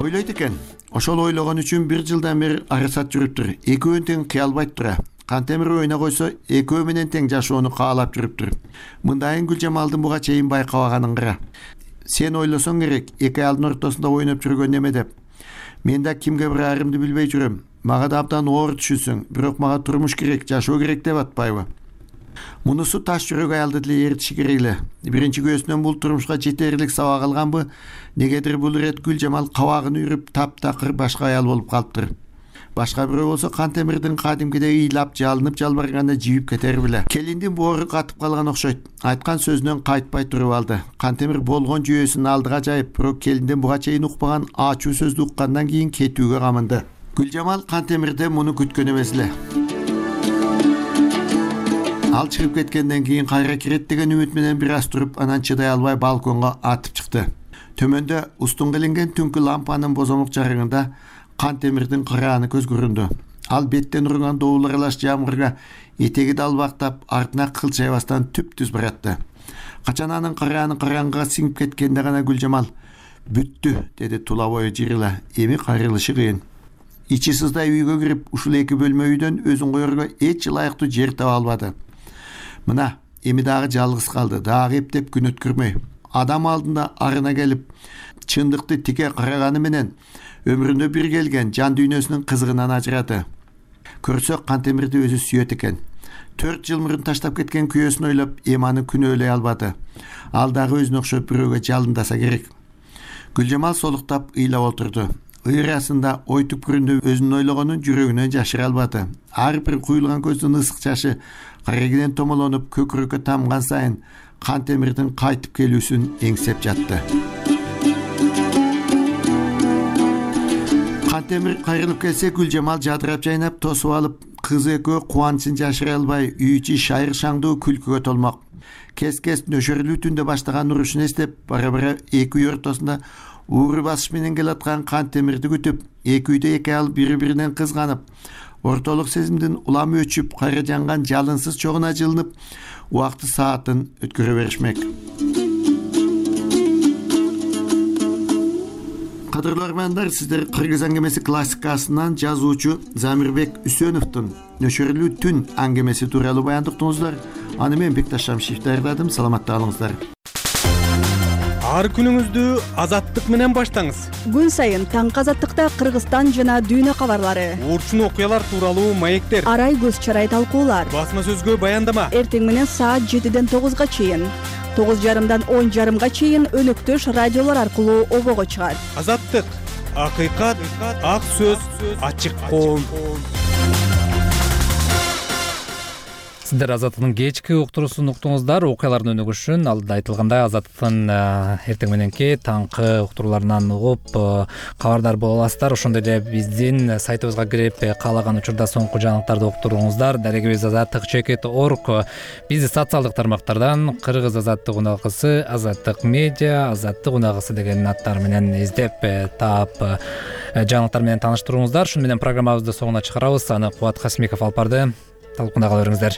Speaker 7: Ойлойт экен. Ошол ойлогон үчүн бир жылдан бери арасат жүрүптүр. Экөөнүн тең кыялбайт тура. Кантемир ойна койсо, экөө менен тең жашоону каалап жүрүптүр. Мындайын Гүлжамалдын буга чейин байкабаганын кыра. Сен ойлосоң керек, эки аялдын ортосунда ойноп жүргөн неме деп. Мен да кимге барарымды билбей жүрөм. Мага да абдан оор түшүнсүң, бирок мага турмуш керек, жашоо керек деп атпайбы? Мунусу таш жүрөк аялды деле эритиши керек эле. Биринчи көзүнөн бул турмушка жетерлик сабак алганбы? Негедир бул ирет Гүлжамал кабагын үйрүп таптакыр башка аял болуп калыптыр. Башка бирөө болсо Кантемирдин кадимкидей ыйлап жалынып жалбарганда жибип кетер беле. Келиндин боору катып калган окшойт. Айткан сөзүнөн кайтпай туруп алды. Кантемир болгон жүйөсүн алдыга жайып, бирок келиндин буга чейин укпаган ачуу сөздү уккандан кийин кетүүгө камынды. Гүлжамал Кантемирден муну күткөн эмес эле. Ал чыгып кеткенден кийин кайра кирет деген үмүт менен бир аз туруп, анан чыдай албай балконго атып чыкты. Төмөндө устун киленген түнкү лампанын бозомок жарыгында Кантемирдин карааны көз көрүндү. Ал беттен урган доул аралаш жамгырга этеги далбактап, артына кылчайбастан түп-түз баратты. Качан анын карааны караңгыга сиңип кеткенде гана Гүлжамал бүттү, деди тула бою жырыла. Эми кайрылышы кыйын. Ичи сыздай үйгө кирип, ушул эки бөлмө үйдөн өзүн коерго эч ылайыктуу жер таба албады. Мына, эми дагы жалгыз калды, дагы эптеп күн өткөрмөй. Адам алдында арына келип, чындыкты тике караганы менен өмүрүндө бир келген жан дүйнөсүнүн кызыгынан ажырады. Көрсө Кантемирди өзү сүйөт экен. 4 жыл мурун таштап кеткен күйөөсүн ойлоп, эми аны күнөөлөй албады. Ал дагы өзүнө окшоп бирөөгө жалындаса керек. Гүлжамал солуктап ыйлап отурду. Ыйрасында ой түпкүрүндө өзүнүн ойлогонун жүрөгүнөн жашыра албады. Ар бир куйулган көздүн ысык жашы карегинен томолонуп көкүрөккө тамган сайын Кантемирдин кайтып келүүсүн эңсеп жатты. Кантемир кайрылып келсе Гүлжамал жадырап жайнап тосуп алып, кызы экөө кубанычын жашыра албай үй ичи шайыр шаңдуу күлкүгө толмок. Кес нөшөрлүү түндө баштаган урушун эстеп, бара эки үй ортосунда ууру басыш менен келаткан Кантемирди күтүп, эки үйдө эки ал бири-биринен кызганып, ортолук сезимдин уламы өчүп, кайра жанган жалынсыз чогуна жылынып, убакты саатын өткөрө беришмек. Кадырлуу армандар, сиздер Кыргыз аңгемеси классикасынан жазуучу Замирбек Үсөновдун Нөшөрлүү түн аңгемеси тууралуу баяндап уктуңуздар. Аны мен Бекташ Шамшиев даярдадым. Саламатта калыңыздар.
Speaker 9: Ар күнүңүздү азаттык менен баштаңыз.
Speaker 15: Күн сайын таңкы азаттыкта Кыргызстан жана дүйнө кабарлары,
Speaker 9: Урчун окуялар тууралуу маектер,
Speaker 15: арай көз чарай талкуулар,
Speaker 9: басма сөзгө баяндама.
Speaker 15: Эртең менен саат 7-ден 9-га чейин, 9:30-дан 10:30-га чейин өнөктөш радиолор аркылуу обого чыгат.
Speaker 9: Азаттык, акыйкат, ак сөз, ачык коом.
Speaker 1: Сиздер Азаттыктын кечки уктуруусун уктуңуздар. Окуялардын өнүгүшүн алдыда айтылгандай Азаттыктын эртең мененки таңкы уктурууларынан угуп кабардар боло аласыздар. Ошондой эле биздин сайтыбызга кирип каалаган учурда соңку жаңылыктарды уктуруңуздар. Дарегибиз azаттык.org. Бизди социалдык тармактардан Кыргыз Азаттык уналгысы, Азаттык медиа, Азаттык уналгысы деген аттар менен издеп таап жаңылыктар менен тааныштырыңыздар. Шуну менен программабызды соңуна чыгарабыз. Аны Кубат Касмиков алып барды. Талкунда кала бериңиздер.